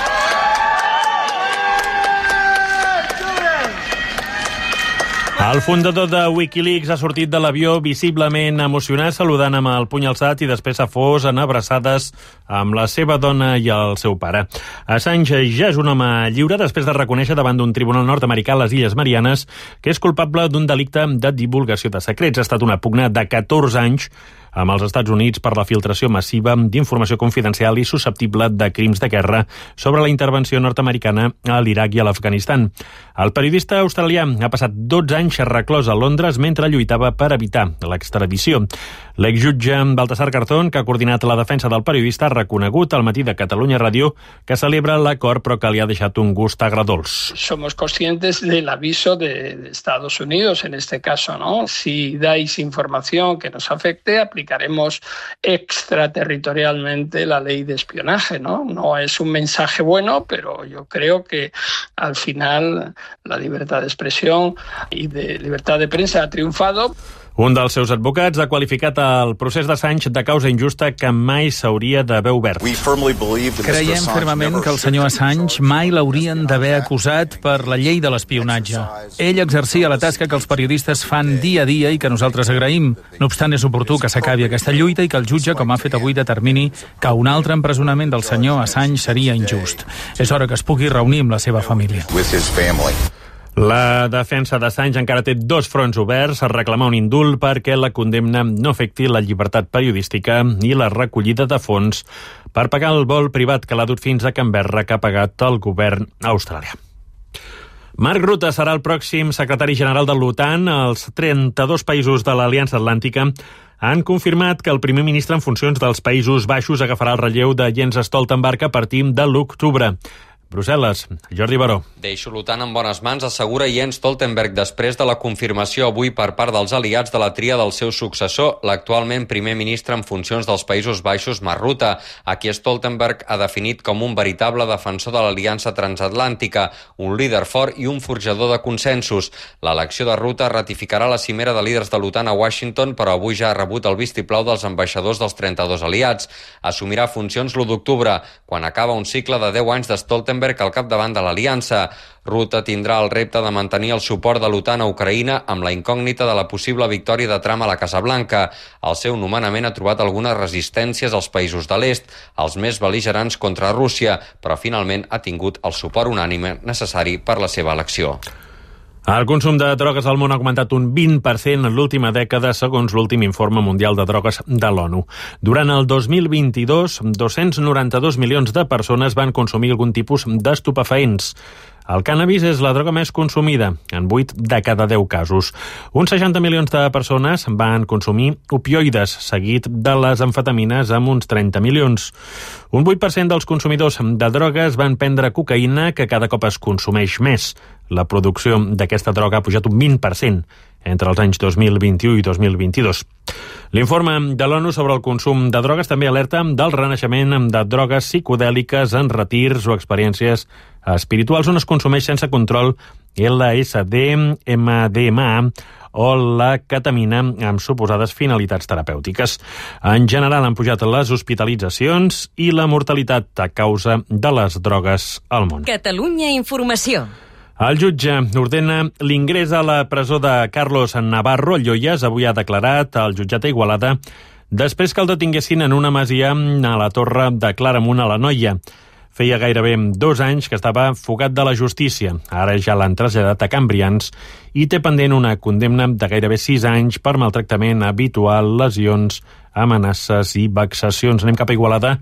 El fundador de Wikileaks ha sortit de l'avió visiblement emocionat, saludant amb el puny alçat i després s'ha fos en abraçades amb la seva dona i el seu pare. Assange ja és un home lliure després de reconèixer davant d'un tribunal nord-americà a les Illes Marianes que és culpable d'un delicte de divulgació de secrets. Ha estat una pugna de catorze anys amb els Estats Units per la filtració massiva d'informació confidencial i susceptible de crims de guerra sobre la intervenció nord-americana a l'Iraq i a l'Afganistan. El periodista australià ha passat dotze anys reclòs a Londres mentre lluitava per evitar l'extradició. L'exjutge Baltasar Garzón, que ha coordinat la defensa del periodista, ha reconegut al matí de Catalunya Ràdio que celebra l'acord però que li ha deixat un gust agredolç. Somos conscientes del aviso de, de Estados Unidos en este caso, ¿no? Si dais información que nos afecte, aplicaremos extraterritorialmente la ley de espionaje, ¿no? No es un mensaje bueno, pero yo creo que al final la libertad de expresión y de libertad de prensa ha triunfado. Un dels seus advocats ha qualificat el procés d'Assange de causa injusta que mai s'hauria d'haver obert. Creiem fermament que el senyor Assange mai l'haurien d'haver acusat per la llei de l'espionatge. Ell exercia la tasca que els periodistes fan dia a dia i que nosaltres agraïm. No obstant, és oportú que s'acabi aquesta lluita i que el jutge, com ha fet avui, determini que un altre empresonament del senyor Assange seria injust. És hora que es pugui reunir amb la seva família. La defensa d'Assange encara té dos fronts oberts a reclamar un indult perquè la condemna no afecti la llibertat periodística i la recollida de fons per pagar el vol privat que l'ha dut fins a Canberra que ha pagat el govern australià. Mark Rutte serà el pròxim secretari general de l'OTAN. Els trenta-dos països de l'Aliança Atlàntica han confirmat que el primer ministre en funcions dels Països Baixos agafarà el relleu de Jens Stoltenberg a partir de l'octubre. Brussel·les, Jordi Baró. Deixo l'OTAN en bones mans, assegura Jens Stoltenberg després de la confirmació avui per part dels aliats de la tria del seu successor, l'actualment primer ministre en funcions dels Països Baixos, Mark Rutte, a qui Stoltenberg ha definit com un veritable defensor de l'aliança transatlàntica, un líder fort i un forjador de consensos. L'elecció de Rutte ratificarà la cimera de líders de l'OTAN a Washington, però avui ja ha rebut el vistiplau dels ambaixadors dels trenta-dos aliats. Assumirà funcions l'u d'octubre, quan acaba un cicle de deu anys de Stoltenberg al capdavant de l'aliança. Rutte tindrà el repte de mantenir el suport de l'OTAN a Ucraïna amb la incògnita de la possible victòria de Trump a la Casa Blanca. El seu nomenament ha trobat algunes resistències als països de l'est, els més bel·ligerants contra Rússia, però finalment ha tingut el suport unànime necessari per la seva elecció. El consum de drogues al món ha augmentat un vint per cent en l'última dècada, segons l'últim informe mundial de drogues de l'ONU. Durant el dos mil vint-i-dos, dos-cents noranta-dos milions de persones van consumir algun tipus d'estupefaents. El cànnabis és la droga més consumida, en vuit de cada deu casos. Uns seixanta milions de persones van consumir opioides, seguit de les amfetamines amb uns trenta milions. Un vuit per cent dels consumidors de drogues van prendre cocaïna, que cada cop es consumeix més. La producció d'aquesta droga ha pujat un vint per cent entre els anys dos mil vint-i-u i dos mil vint-i-dos. L'informe de l'ONU sobre el consum de drogues també alerta del renaixement de drogues psicodèliques en retirs o experiències espirituals on es consumeix sense control L S D, M D M A o la ketamina amb suposades finalitats terapèutiques. En general han pujat les hospitalitzacions i la mortalitat a causa de les drogues al món. Catalunya Informació. El jutge ordena l'ingrés a la presó de Carlos Navarro Lloyes. Avui ha declarat al jutjat d'Igualada després que el detinguessin en una masia a la Torre de Claramunt a l'Anoia. Feia gairebé dos anys que estava fugat de la justícia. Ara ja l'han traslladat a Cambrians i té pendent una condemna de gairebé sis anys per maltractament habitual, lesions, amenaces i vexacions. Anem cap a Igualada.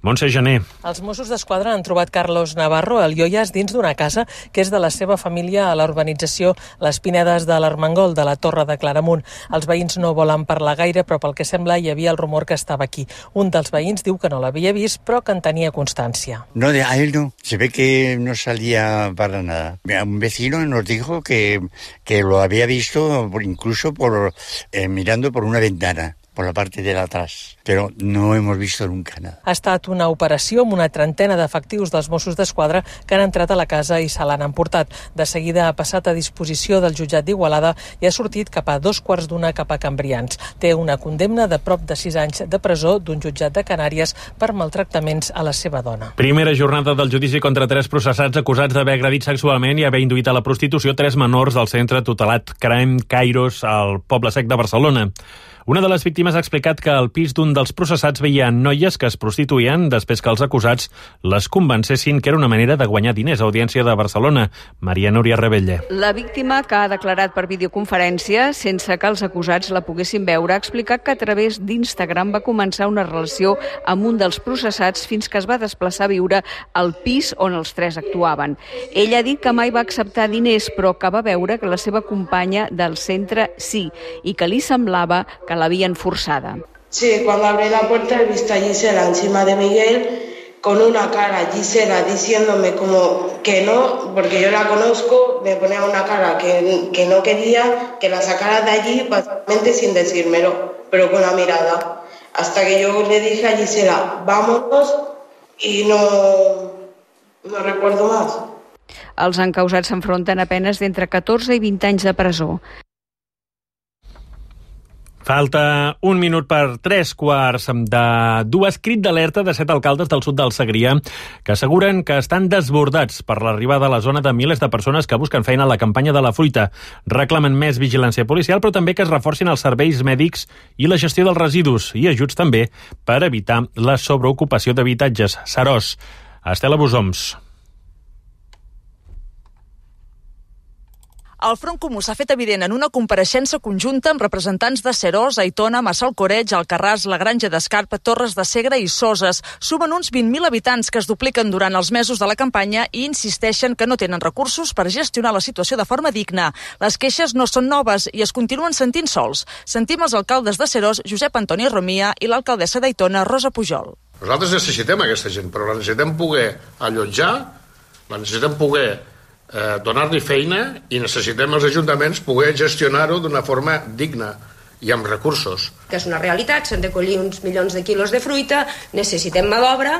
Montse Gené. Els Mossos d'Esquadra han trobat Carlos Navarro al Lloyes dins d'una casa que és de la seva família a la urbanització Les Pinedes de l'Armengol, de la Torre de Claramunt. Els veïns no volen parlar gaire, però pel que sembla hi havia el rumor que estava aquí. Un dels veïns diu que no l'havia vist, però que en tenia constància. No, a él no. Se ve que no salía para nada. Un vecino nos dijo que, que lo había visto incluso por, eh, mirando por una ventana. por la parte de atrás, pero no hemos visto nunca nada. Ha estat una operació amb una trentena d'efectius dels Mossos d'Esquadra que han entrat a la casa i se l'han emportat. De seguida ha passat a disposició del jutjat d'Igualada i ha sortit cap a dos quarts d'una cap a Cambrians. Té una condemna de prop de sis anys de presó d'un jutjat de Canàries per maltractaments a la seva dona. Primera jornada del judici contra tres processats acusats d'haver agredit sexualment i haver induït a la prostitució tres menors del centre tutelat Crem Kairos al Poble Sec de Barcelona. Una de les víctimes ha explicat que al pis d'un dels processats veia noies que es prostituïen després que els acusats les convencessin que era una manera de guanyar diners. A Audiència de Barcelona, Maria Núria Rebelle. La víctima, que ha declarat per videoconferència sense que els acusats la poguessin veure, ha explicat que a través d'Instagram va començar una relació amb un dels processats fins que es va desplaçar a viure al pis on els tres actuaven. Ella ha dit que mai va acceptar diners, però que va veure que la seva companya del centre sí, i que li semblava que la habían forzada. Sí, cuando abrí la puerta he visto a Gisela encima de Miguel con una cara, Gisela diciéndome como que no, porque yo la conozco, me ponía una cara que, que no quería que la sacara de allí, básicamente sin decírmelo, pero con la mirada. Hasta que yo le dije a Gisela, vámonos, y no, no recuerdo más. Els encausats s'enfronten a penes d'entre catorze i vint anys de presó. Falta un minut per tres quarts de dues. Crit d'alerta de set alcaldes del sud del Segrià que asseguren que estan desbordats per l'arribada a la zona de milers de persones que busquen feina a la campanya de la fruita. Reclamen més vigilància policial, però també que es reforcin els serveis mèdics i la gestió dels residus i ajuts també per evitar la sobreocupació d'habitatges. Seròs, Estela Busoms. El Front Comú s'ha fet evident en una compareixença conjunta amb representants de Seròs, Aitona, Massalcoreig, Alcarràs, la Granja d'Escarp, Torres de Segre i Soses. Sumen uns vint mil habitants que es dupliquen durant els mesos de la campanya i insisteixen que no tenen recursos per gestionar la situació de forma digna. Les queixes no són noves i es continuen sentint sols. Sentim els alcaldes de Seròs, Josep Antoni Romia, i l'alcaldessa d'Aitona, Rosa Pujol. Nosaltres necessitem aquesta gent, però la necessitem poder allotjar, la necessitem poder Eh, donar-li feina i necessitem els ajuntaments poder gestionar-ho d'una forma digna i amb recursos. Que és una realitat, s'han de collir uns milions de quilos de fruita, necessitem mà d'obra,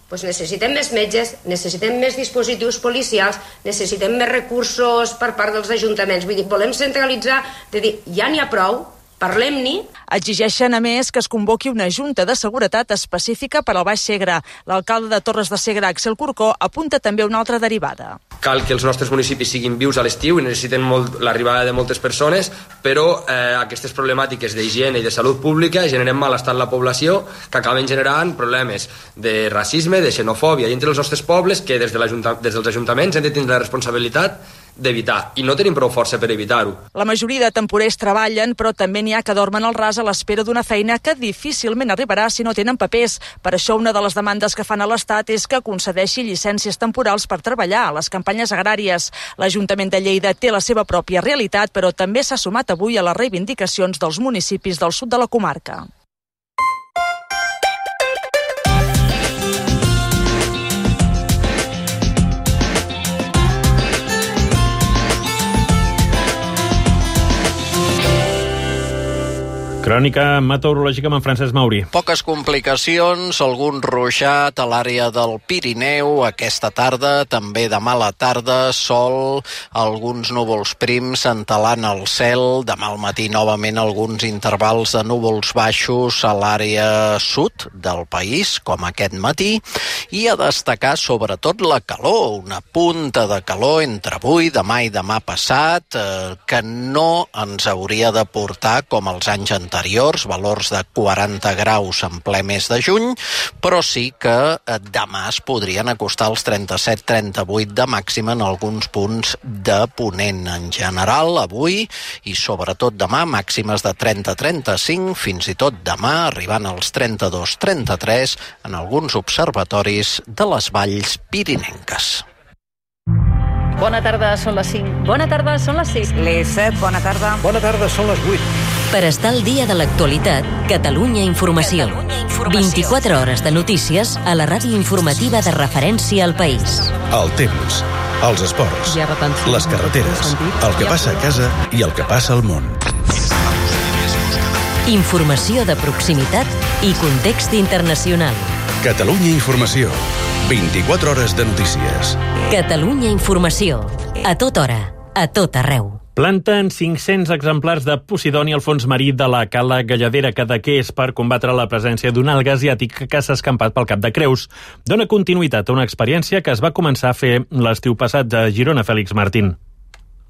doncs necessitem més metges, necessitem més dispositius policials, necessitem més recursos per part dels ajuntaments. Vull dir, volem centralitzar, de dir, ja n'hi ha prou, parlem-n'hi. Exigeixen, a més, que es convoqui una junta de seguretat específica per al Baix Segre. L'alcalde de Torres de Segre, Axel Corcó, apunta també una altra derivada. Cal que els nostres municipis siguin vius a l'estiu i necessiten molt l'arribada de moltes persones, però eh, aquestes problemàtiques d'higiene i de salut pública generen malestar en la població que acaben generant problemes de racisme, de xenofòbia i entre els nostres pobles que des, de des dels ajuntaments hem de tindre la responsabilitat d'evitar, i no tenim prou força per evitar-ho. La majoria de temporers treballen, però també n'hi ha que dormen al ras a l'espera d'una feina que difícilment arribarà si no tenen papers. Per això una de les demandes que fan a l'Estat és que concedeixi llicències temporals per treballar a les campanyes agràries. L'Ajuntament de Lleida té la seva pròpia realitat, però també s'ha sumat avui a les reivindicacions dels municipis del sud de la comarca. Crònica meteorològica amb en Francesc Mauri. Poques complicacions, algun ruixat a l'àrea del Pirineu aquesta tarda, també demà a la tarda, sol, alguns núvols prims entelant el cel, demà al matí novament alguns intervals de núvols baixos a l'àrea sud del país, com aquest matí, i a destacar sobretot la calor, una punta de calor entre avui, demà i demà passat, eh, que no ens hauria de portar com els anys anteriors, anteriors, valors de quaranta graus en ple mes de juny, però sí que demà es podrien acostar als trenta-set trenta-vuit de màxima en alguns punts de ponent. En general, avui i sobretot demà, màximes de trenta trenta-cinc, fins i tot demà arribant als trenta-dos trenta-tres en alguns observatoris de les valls pirinenques. Bona tarda, són les cinc. Bona tarda, són les sis. Les set, bona tarda. Bona tarda, són les vuit. Per estar al dia de l'actualitat, Catalunya Informació. Catalunya Informació. vint-i-quatre hores de notícies a la ràdio informativa de referència al país. El temps, els esports, les carreteres, el que passa a casa i el que passa al món. Informació de proximitat i context internacional. Catalunya Informació. vint-i-quatre hores de notícies. Catalunya Informació. A tota hora, a tot arreu. Planten cinc-cents exemplars de Posidoni al fons marí de la cala Galladera Cadaqués per combatre la presència d'un alga asiàtic que s'ha escampat pel Cap de Creus. Dona continuïtat a una experiència que es va començar a fer l'estiu passat a Girona, Fèlix Martín.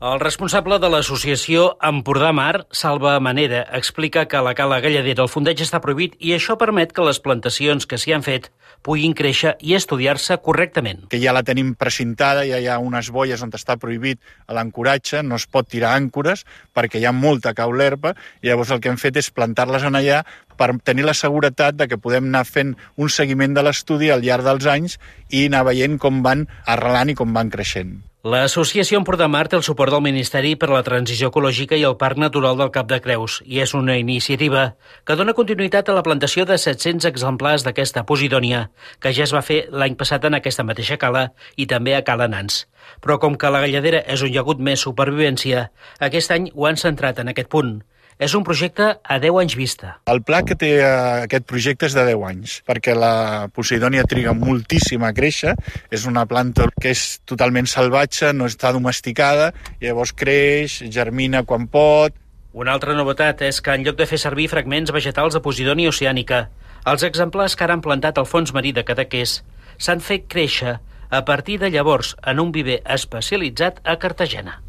El responsable de l'associació Empordà Mar, Salva Manera, explica que a la cala Galladera el fondeig està prohibit i això permet que les plantacions que s'hi han fet puguin créixer i estudiar-se correctament. Que ja la tenim precintada, ja hi ha unes boies on està prohibit l'ancoratge, no es pot tirar àncores perquè hi ha molta caulerpa i llavors el que hem fet és plantar-les en allà per tenir la seguretat de que podem anar fent un seguiment de l'estudi al llarg dels anys i anar veient com van arrelant i com van creixent. L'associació Empordà Mar té el suport del Ministeri per a la Transició Ecològica i el Parc Natural del Cap de Creus i és una iniciativa que dona continuïtat a la plantació de set-cents exemplars d'aquesta Posidònia, que ja es va fer l'any passat en aquesta mateixa cala i també a Cala Nans. Però com que la Galladera és on hi ha hagut més supervivència, aquest any ho han centrat en aquest punt. És un projecte a deu anys vista. El pla que té aquest projecte és de deu anys, perquè la Posidònia triga moltíssim a créixer, és una planta que és totalment salvatge, no està domesticada, i llavors creix, germina quan pot, Una altra novetat és que en lloc de fer servir fragments vegetals de Posidònia oceànica, els exemplars que ara han plantat al fons marí de Cadaqués s'han fet créixer a partir de llavors en un viver especialitzat a Cartagena.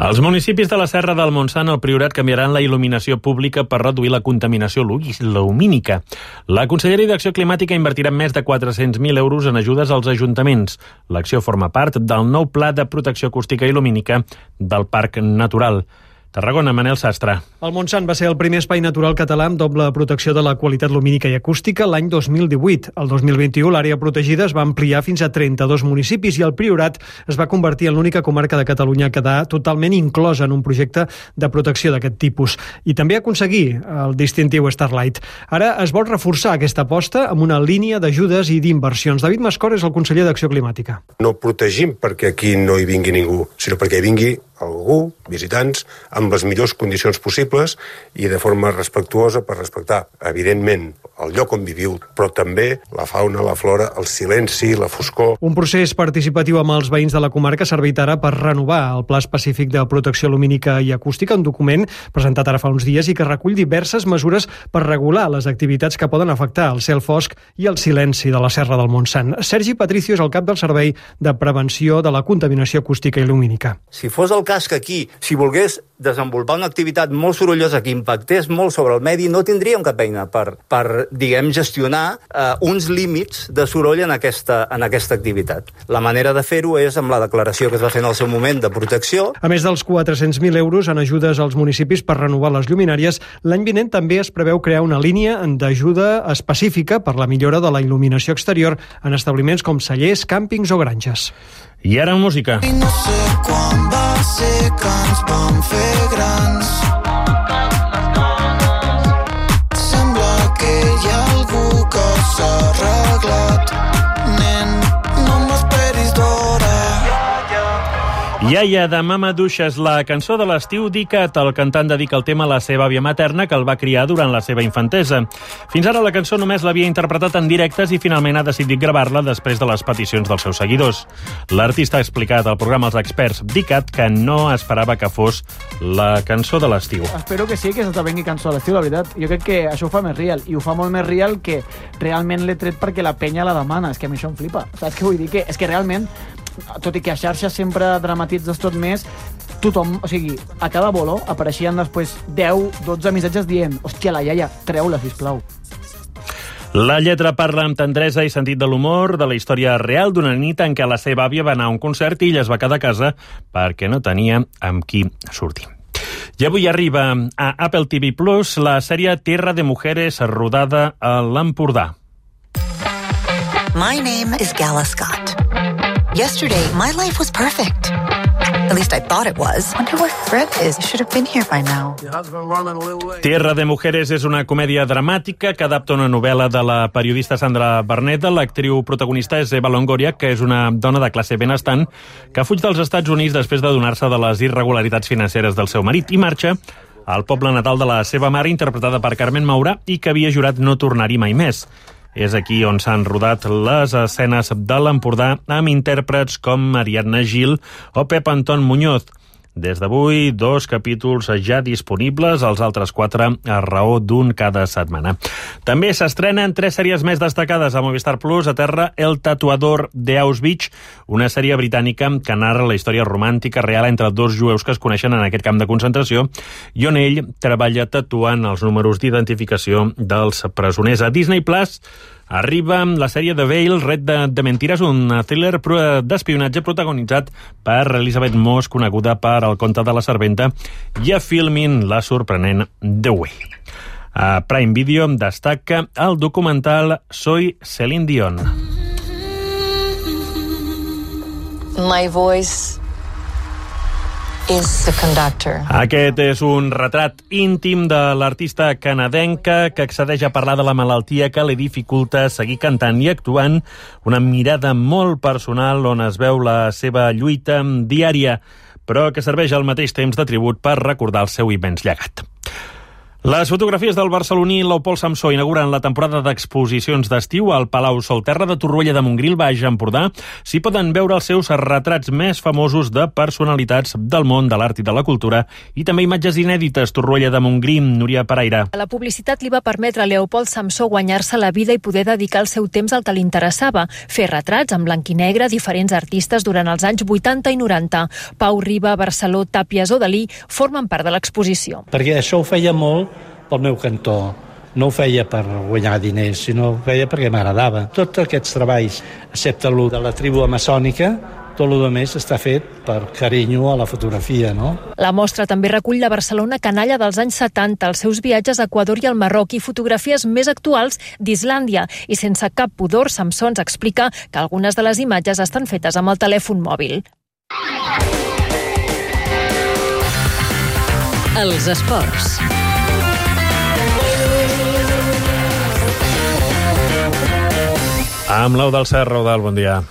Els municipis de la Serra del Montsant al Priorat canviaran la il·luminació pública per reduir la contaminació lumínica. La Conselleria d'Acció Climàtica invertirà més de quatre-cents mil euros en ajudes als ajuntaments. L'acció forma part del nou Pla de Protecció Acústica i Lumínica del Parc Natural. Tarragona, Manel Sastre. El Montsant va ser el primer espai natural català amb doble protecció de la qualitat lumínica i acústica l'any dos mil divuit. El dos mil vint-i-u l'àrea protegida es va ampliar fins a trenta-dos municipis i el Priorat es va convertir en l'única comarca de Catalunya a quedar totalment inclosa en un projecte de protecció d'aquest tipus. I també aconseguir el distintiu Starlight. Ara es vol reforçar aquesta aposta amb una línia d'ajudes i d'inversions. David Mascor és el conseller d'Acció Climàtica. No protegim perquè aquí no hi vingui ningú, sinó perquè hi vingui algú, visitants, amb les millors condicions possibles i de forma respectuosa per respectar, evidentment, el lloc on viviu, però també la fauna, la flora, el silenci, la foscor. Un procés participatiu amb els veïns de la comarca ha servit ara per renovar el Pla Específic de Protecció Lumínica i Acústica, un document presentat ara fa uns dies i que recull diverses mesures per regular les activitats que poden afectar el cel fosc i el silenci de la Serra del Montsant. Sergi Patricio és el cap del Servei de Prevenció de la Contaminació Acústica i Lumínica. Si fos el cas que aquí, si volgués desenvolupar una activitat molt sorollosa que impactés molt sobre el medi, no tindríem cap eina per, per diguem, gestionar eh, uns límits de soroll en aquesta, en aquesta activitat. La manera de fer-ho és amb la declaració que es va fer en el seu moment de protecció. A més dels quatre-cents mil euros en ajudes als municipis per renovar les lluminàries, l'any vinent també es preveu crear una línia d'ajuda específica per la millora de la il·luminació exterior en establiments com cellers, càmpings o granges. I ara música. I no sé quan va ser que ens vam fer grans. Sembla que hi ha algú que s'ha arreglat. Nen, no m'esperis d'hora. Iaia, de Mama Duixes, la cançó de l'estiu Dicat. El cantant dedica el tema a la seva àvia materna, que el va criar durant la seva infantesa. Fins ara la cançó només l'havia interpretat en directes i finalment ha decidit gravar-la després de les peticions dels seus seguidors. L'artista ha explicat al programa Els Experts Dicat que no esperava que fos la cançó de l'estiu. Espero que sí, que s'esdevengui cançó de l'estiu, la veritat. Jo crec que això ho fa més real, i ho fa molt més real que realment l'he tret perquè la penya la demana. És que a mi això em flipa. Saps què vull dir? Que, és que realment, tot i que a xarxes sempre dramatitzes tot més, tothom, o sigui, a cada bolo apareixien després deu, dotze missatges dient hòstia, la iaia, treu-la, sisplau. La lletra parla amb tendresa i sentit de l'humor de la història real d'una nit en què la seva àvia va anar a un concert i ella es va quedar a casa perquè no tenia amb qui sortir. I avui arriba a Apple T V Plus la sèrie Tierra de Mujeres, rodada a l'Empordà. My name is Gala Scott. Yesterday, my life was perfect. At least I thought it was. Wonder where Fred is. He should have been here by now. Tierra de Mujeres és una comèdia dramàtica que adapta una novel·la de la periodista Sandra Barneda. L'actriu protagonista és Eva Longoria, que és una dona de classe benestant que fuig dels Estats Units després de donar-se de les irregularitats financeres del seu marit i marxa al poble natal de la seva mare, interpretada per Carmen Maura, i que havia jurat no tornar-hi mai més. És aquí on s'han rodat les escenes de l'Empordà amb intèrprets com Ariadna Gil o Pep Anton Muñoz. Des d'avui, dos capítols ja disponibles, els altres quatre a raó d'un cada setmana. També s'estrenen tres sèries més destacades a Movistar Plus. A terra, El tatuador de Auschwitz, una sèrie britànica que narra la història romàntica real entre dos jueus que es coneixen en aquest camp de concentració i on ell treballa tatuant els números d'identificació dels presoners. A Disney Plus arriba la sèrie The Veil, Red de, de Mentiras, un thriller d'espionatge protagonitzat per Elizabeth Moss, coneguda per El conte de la serventa, i a Filmin, la sorprenent The Way. A Prime Video destaca el documental Soy Celine Dion. My voice is the conductor. Aquest és un retrat íntim de l'artista canadenca que accedeix a parlar de la malaltia que li dificulta seguir cantant i actuant, una mirada molt personal on es veu la seva lluita diària, però que serveix al mateix temps de tribut per recordar el seu immens llegat. Les fotografies del barceloní Leopold Samsó inauguren la temporada d'exposicions d'estiu al Palau Solterra de Torroella de Montgrí, Baix Empordà. S'hi poden veure els seus retrats més famosos de personalitats del món de l'art i de la cultura i també imatges inèdites. Torroella de Montgrí, Núria Paraire. La publicitat li va permetre a Leopold Samsó guanyar-se la vida i poder dedicar el seu temps al que li interessava, fer retrats en blanc i negre a diferents artistes durant els anys vuitanta i noranta. Pau Riba, Barceló, Tàpies o Dalí formen part de l'exposició. Perquè això ho feia molt pel meu cantó. No ho feia per guanyar diners, sinó ho feia perquè m'agradava. Tots aquests treballs, excepte el de la tribu amazònica, tot el més està fet per carinyo a la fotografia, no? La mostra també recull la Barcelona canalla dels anys setanta, els seus viatges a Equador i al Marroc i fotografies més actuals d'Islàndia. I sense cap pudor, Samsó ens explica que algunes de les imatges estan fetes amb el telèfon mòbil. Els esports. Amb l'Eudald Serra. Eudald, bon dia.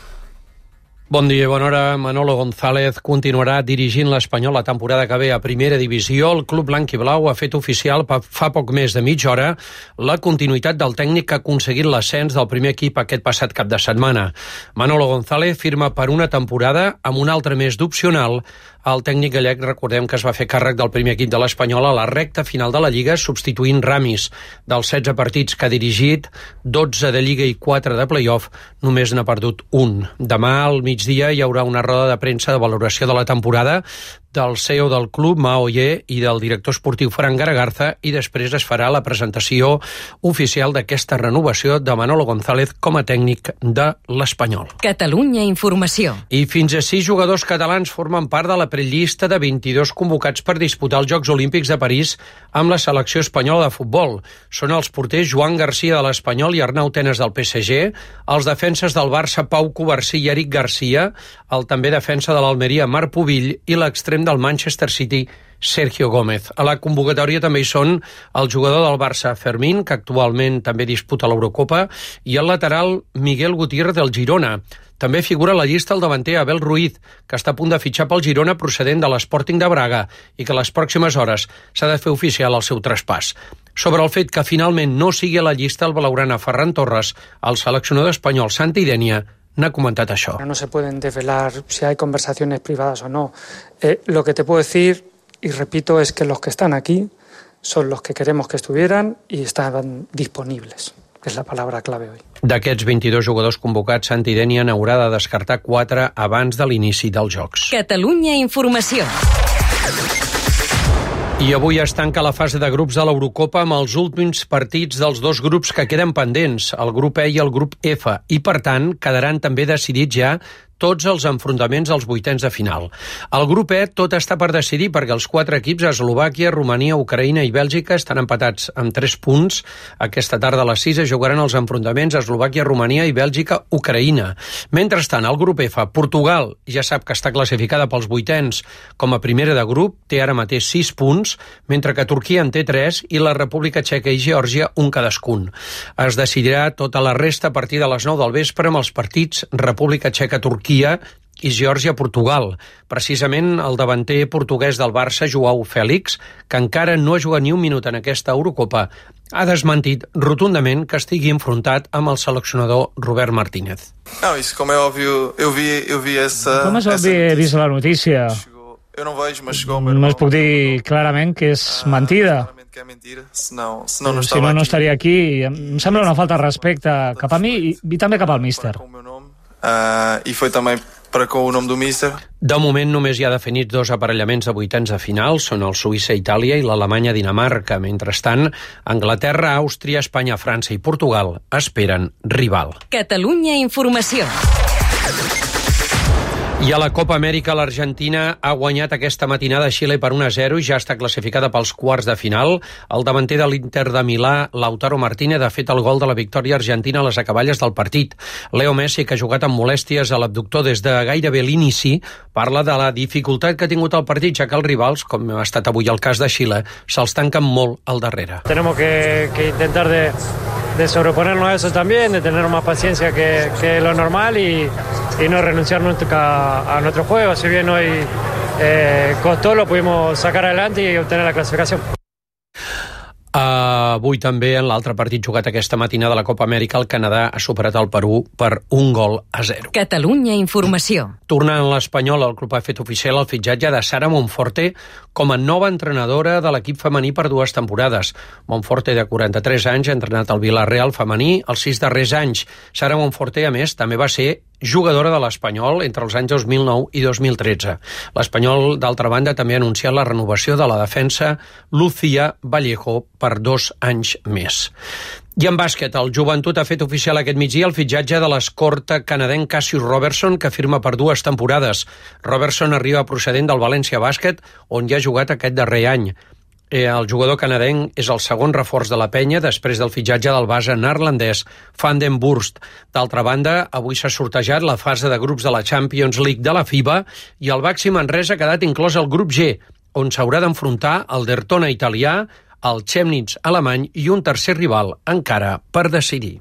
Bon dia, bona hora. Manolo González continuarà dirigint l'Espanyol la temporada que ve a Primera Divisió. El club blanc i blau ha fet oficial fa poc més de mitja hora la continuïtat del tècnic que ha aconseguit l'ascens del primer equip aquest passat cap de setmana. Manolo González firma per una temporada amb un altre mes d'opcional. El tècnic gallec, recordem que es va fer càrrec del primer equip de l'Espanyol a la recta final de la Lliga, substituint Ramis. Dels setze partits que ha dirigit, dotze de Lliga i quatre de play-off, només n'ha perdut un. Demà al migdia hi haurà una roda de premsa de valoració de la temporada del C E O del club, Mao Ye, i del director esportiu Fran Garagarza, i després es farà la presentació oficial d'aquesta renovació de Manolo González com a tècnic de l'Espanyol. Catalunya Informació. I fins a sis jugadors catalans formen part de la prellista de vint-i-dos convocats per disputar els Jocs Olímpics de París amb la selecció espanyola de futbol. Són els porters Joan Garcia de l'Espanyol i Arnau Tenas del P S G, els defenses del Barça Pau Covarsí i Eric Garcia, el també defensa de l'Almeria Marc Pubill i l'extrem del Manchester City Sergio Gómez. A la convocatòria també hi són el jugador del Barça Fermín, que actualment també disputa l'Eurocopa, i el lateral Miguel Gutiérrez del Girona. També figura a la llista el davanter Abel Ruiz, que està a punt de fitxar pel Girona procedent de l'Sporting de Braga i que a les pròximes hores s'ha de fer oficial el seu traspàs. Sobre el fet que finalment no sigui a la llista el blaugrana Ferran Torres, el seleccionador espanyol Santi Denia n'ha comentat això. No se pueden desvelar si hay conversaciones privadas o no. Eh, lo que te puedo decir, y repito, es que los que están aquí son los que queremos que estuvieran y estaban disponibles. És la paraula clave avui. D'aquests vint-i-dos jugadors convocats, Santi Denia n'haurà de descartar quatre abans de l'inici dels Jocs. Catalunya Informació. I avui es tanca la fase de grups de l'Eurocopa amb els últims partits dels dos grups que queden pendents, el grup E i el grup F, i per tant quedaran també decidits ja tots els enfrontaments als vuitens de final. Al grup E tot està per decidir perquè els quatre equips, Eslovàquia, Romania, Ucraïna i Bèlgica, estan empatats amb tres punts. Aquesta tarda a les sis es jugaran els enfrontaments Eslovàquia, Romania i Bèlgica, Ucraïna. Mentrestant, al grup F, Portugal ja sap que està classificada pels vuitens com a primera de grup, té ara mateix sis punts, mentre que Turquia en té tres i la República Txeca i Geòrgia un cadascun. Es decidirà tota la resta a partir de les nou del vespre amb els partits República Txeca-Turquia i Geòrgia-Portugal. Precisament el davanter portuguès del Barça, Joao Félix, que encara no ha jugat ni un minut en aquesta Eurocopa, ha desmentit rotundament que estigui enfrontat amb el seleccionador Robert Martínez. Não, isso como é óbvio, eu vi, eu vi essa... Com és obvi, he vist la notícia. Eu não vejo, mas chegou... Només puc dir clarament que és mentida. Que é mentira, senão, senão não si estava no, no aqui. estaria aquí. Em sembla una falta de respecte cap a mi i, i també cap al míster. Uh, I foi também para com o nome do míster. De moment només hi ha definits dos aparellaments de vuitens de final, són el Suïssa-Itàlia i l'Alemanya-Dinamarca. Mentrestant, Anglaterra, Àustria, Espanya, França i Portugal esperen rival. Catalunya Informació. I a la Copa Amèrica, l'Argentina ha guanyat aquesta matinada a Xile per un a zero i ja està classificada pels quarts de final. El davanter de l'Inter de Milà, Lautaro Martínez, ha fet el gol de la victòria argentina a les acaballes del partit. Leo Messi, que ha jugat amb molèsties a l'abductor des de gairebé l'inici, parla de la dificultat que ha tingut el partit, ja que els rivals, com ha estat avui el cas de Xile, se'ls tanquen molt al darrere. Tenemos que, que intentar de, de sobreponernos a eso también, de tener más paciencia que, que lo normal y, y no renunciar nunca a nuestro juego. Si bien hoy eh, costó, lo pudimos sacar adelante y obtener la clasificación. Uh, avui també en l'altre partit jugat aquesta matinada de la Copa Amèrica, el Canadà ha superat el Perú per un gol a zero. Catalunya Informació. Tornant a l'Espanyol, el club ha fet oficial el fitxatge de Sara Monforte com a nova entrenadora de l'equip femení per dues temporades. Monforte, de quaranta-tres anys, ha entrenat el Villarreal femení els sis darrers anys. Sara Monforte, a més, també va ser jugadora de l'Espanyol entre els anys dos mil nou i dos mil tretze. L'Espanyol, d'altra banda, també ha anunciat la renovació de la defensa Lucía Vallejo per dos anys més. I en bàsquet, el Joventut ha fet oficial aquest migdia el fitxatge de l'escorta canadenc Cassius Robertson, que firma per dues temporades. Robertson arriba procedent del València Bàsquet, on ja ha jugat aquest darrer any. El jugador canadenc és el segon reforç de la penya després del fitxatge del base neerlandès Van den Burst. D'altra banda, avui s'ha sortejat la fase de grups de la Champions League de la FIBA i el Baxi Manresa ha quedat inclòs al grup G, on s'haurà d'enfrontar el Dertona italià, el Chemnitz alemany i un tercer rival encara per decidir.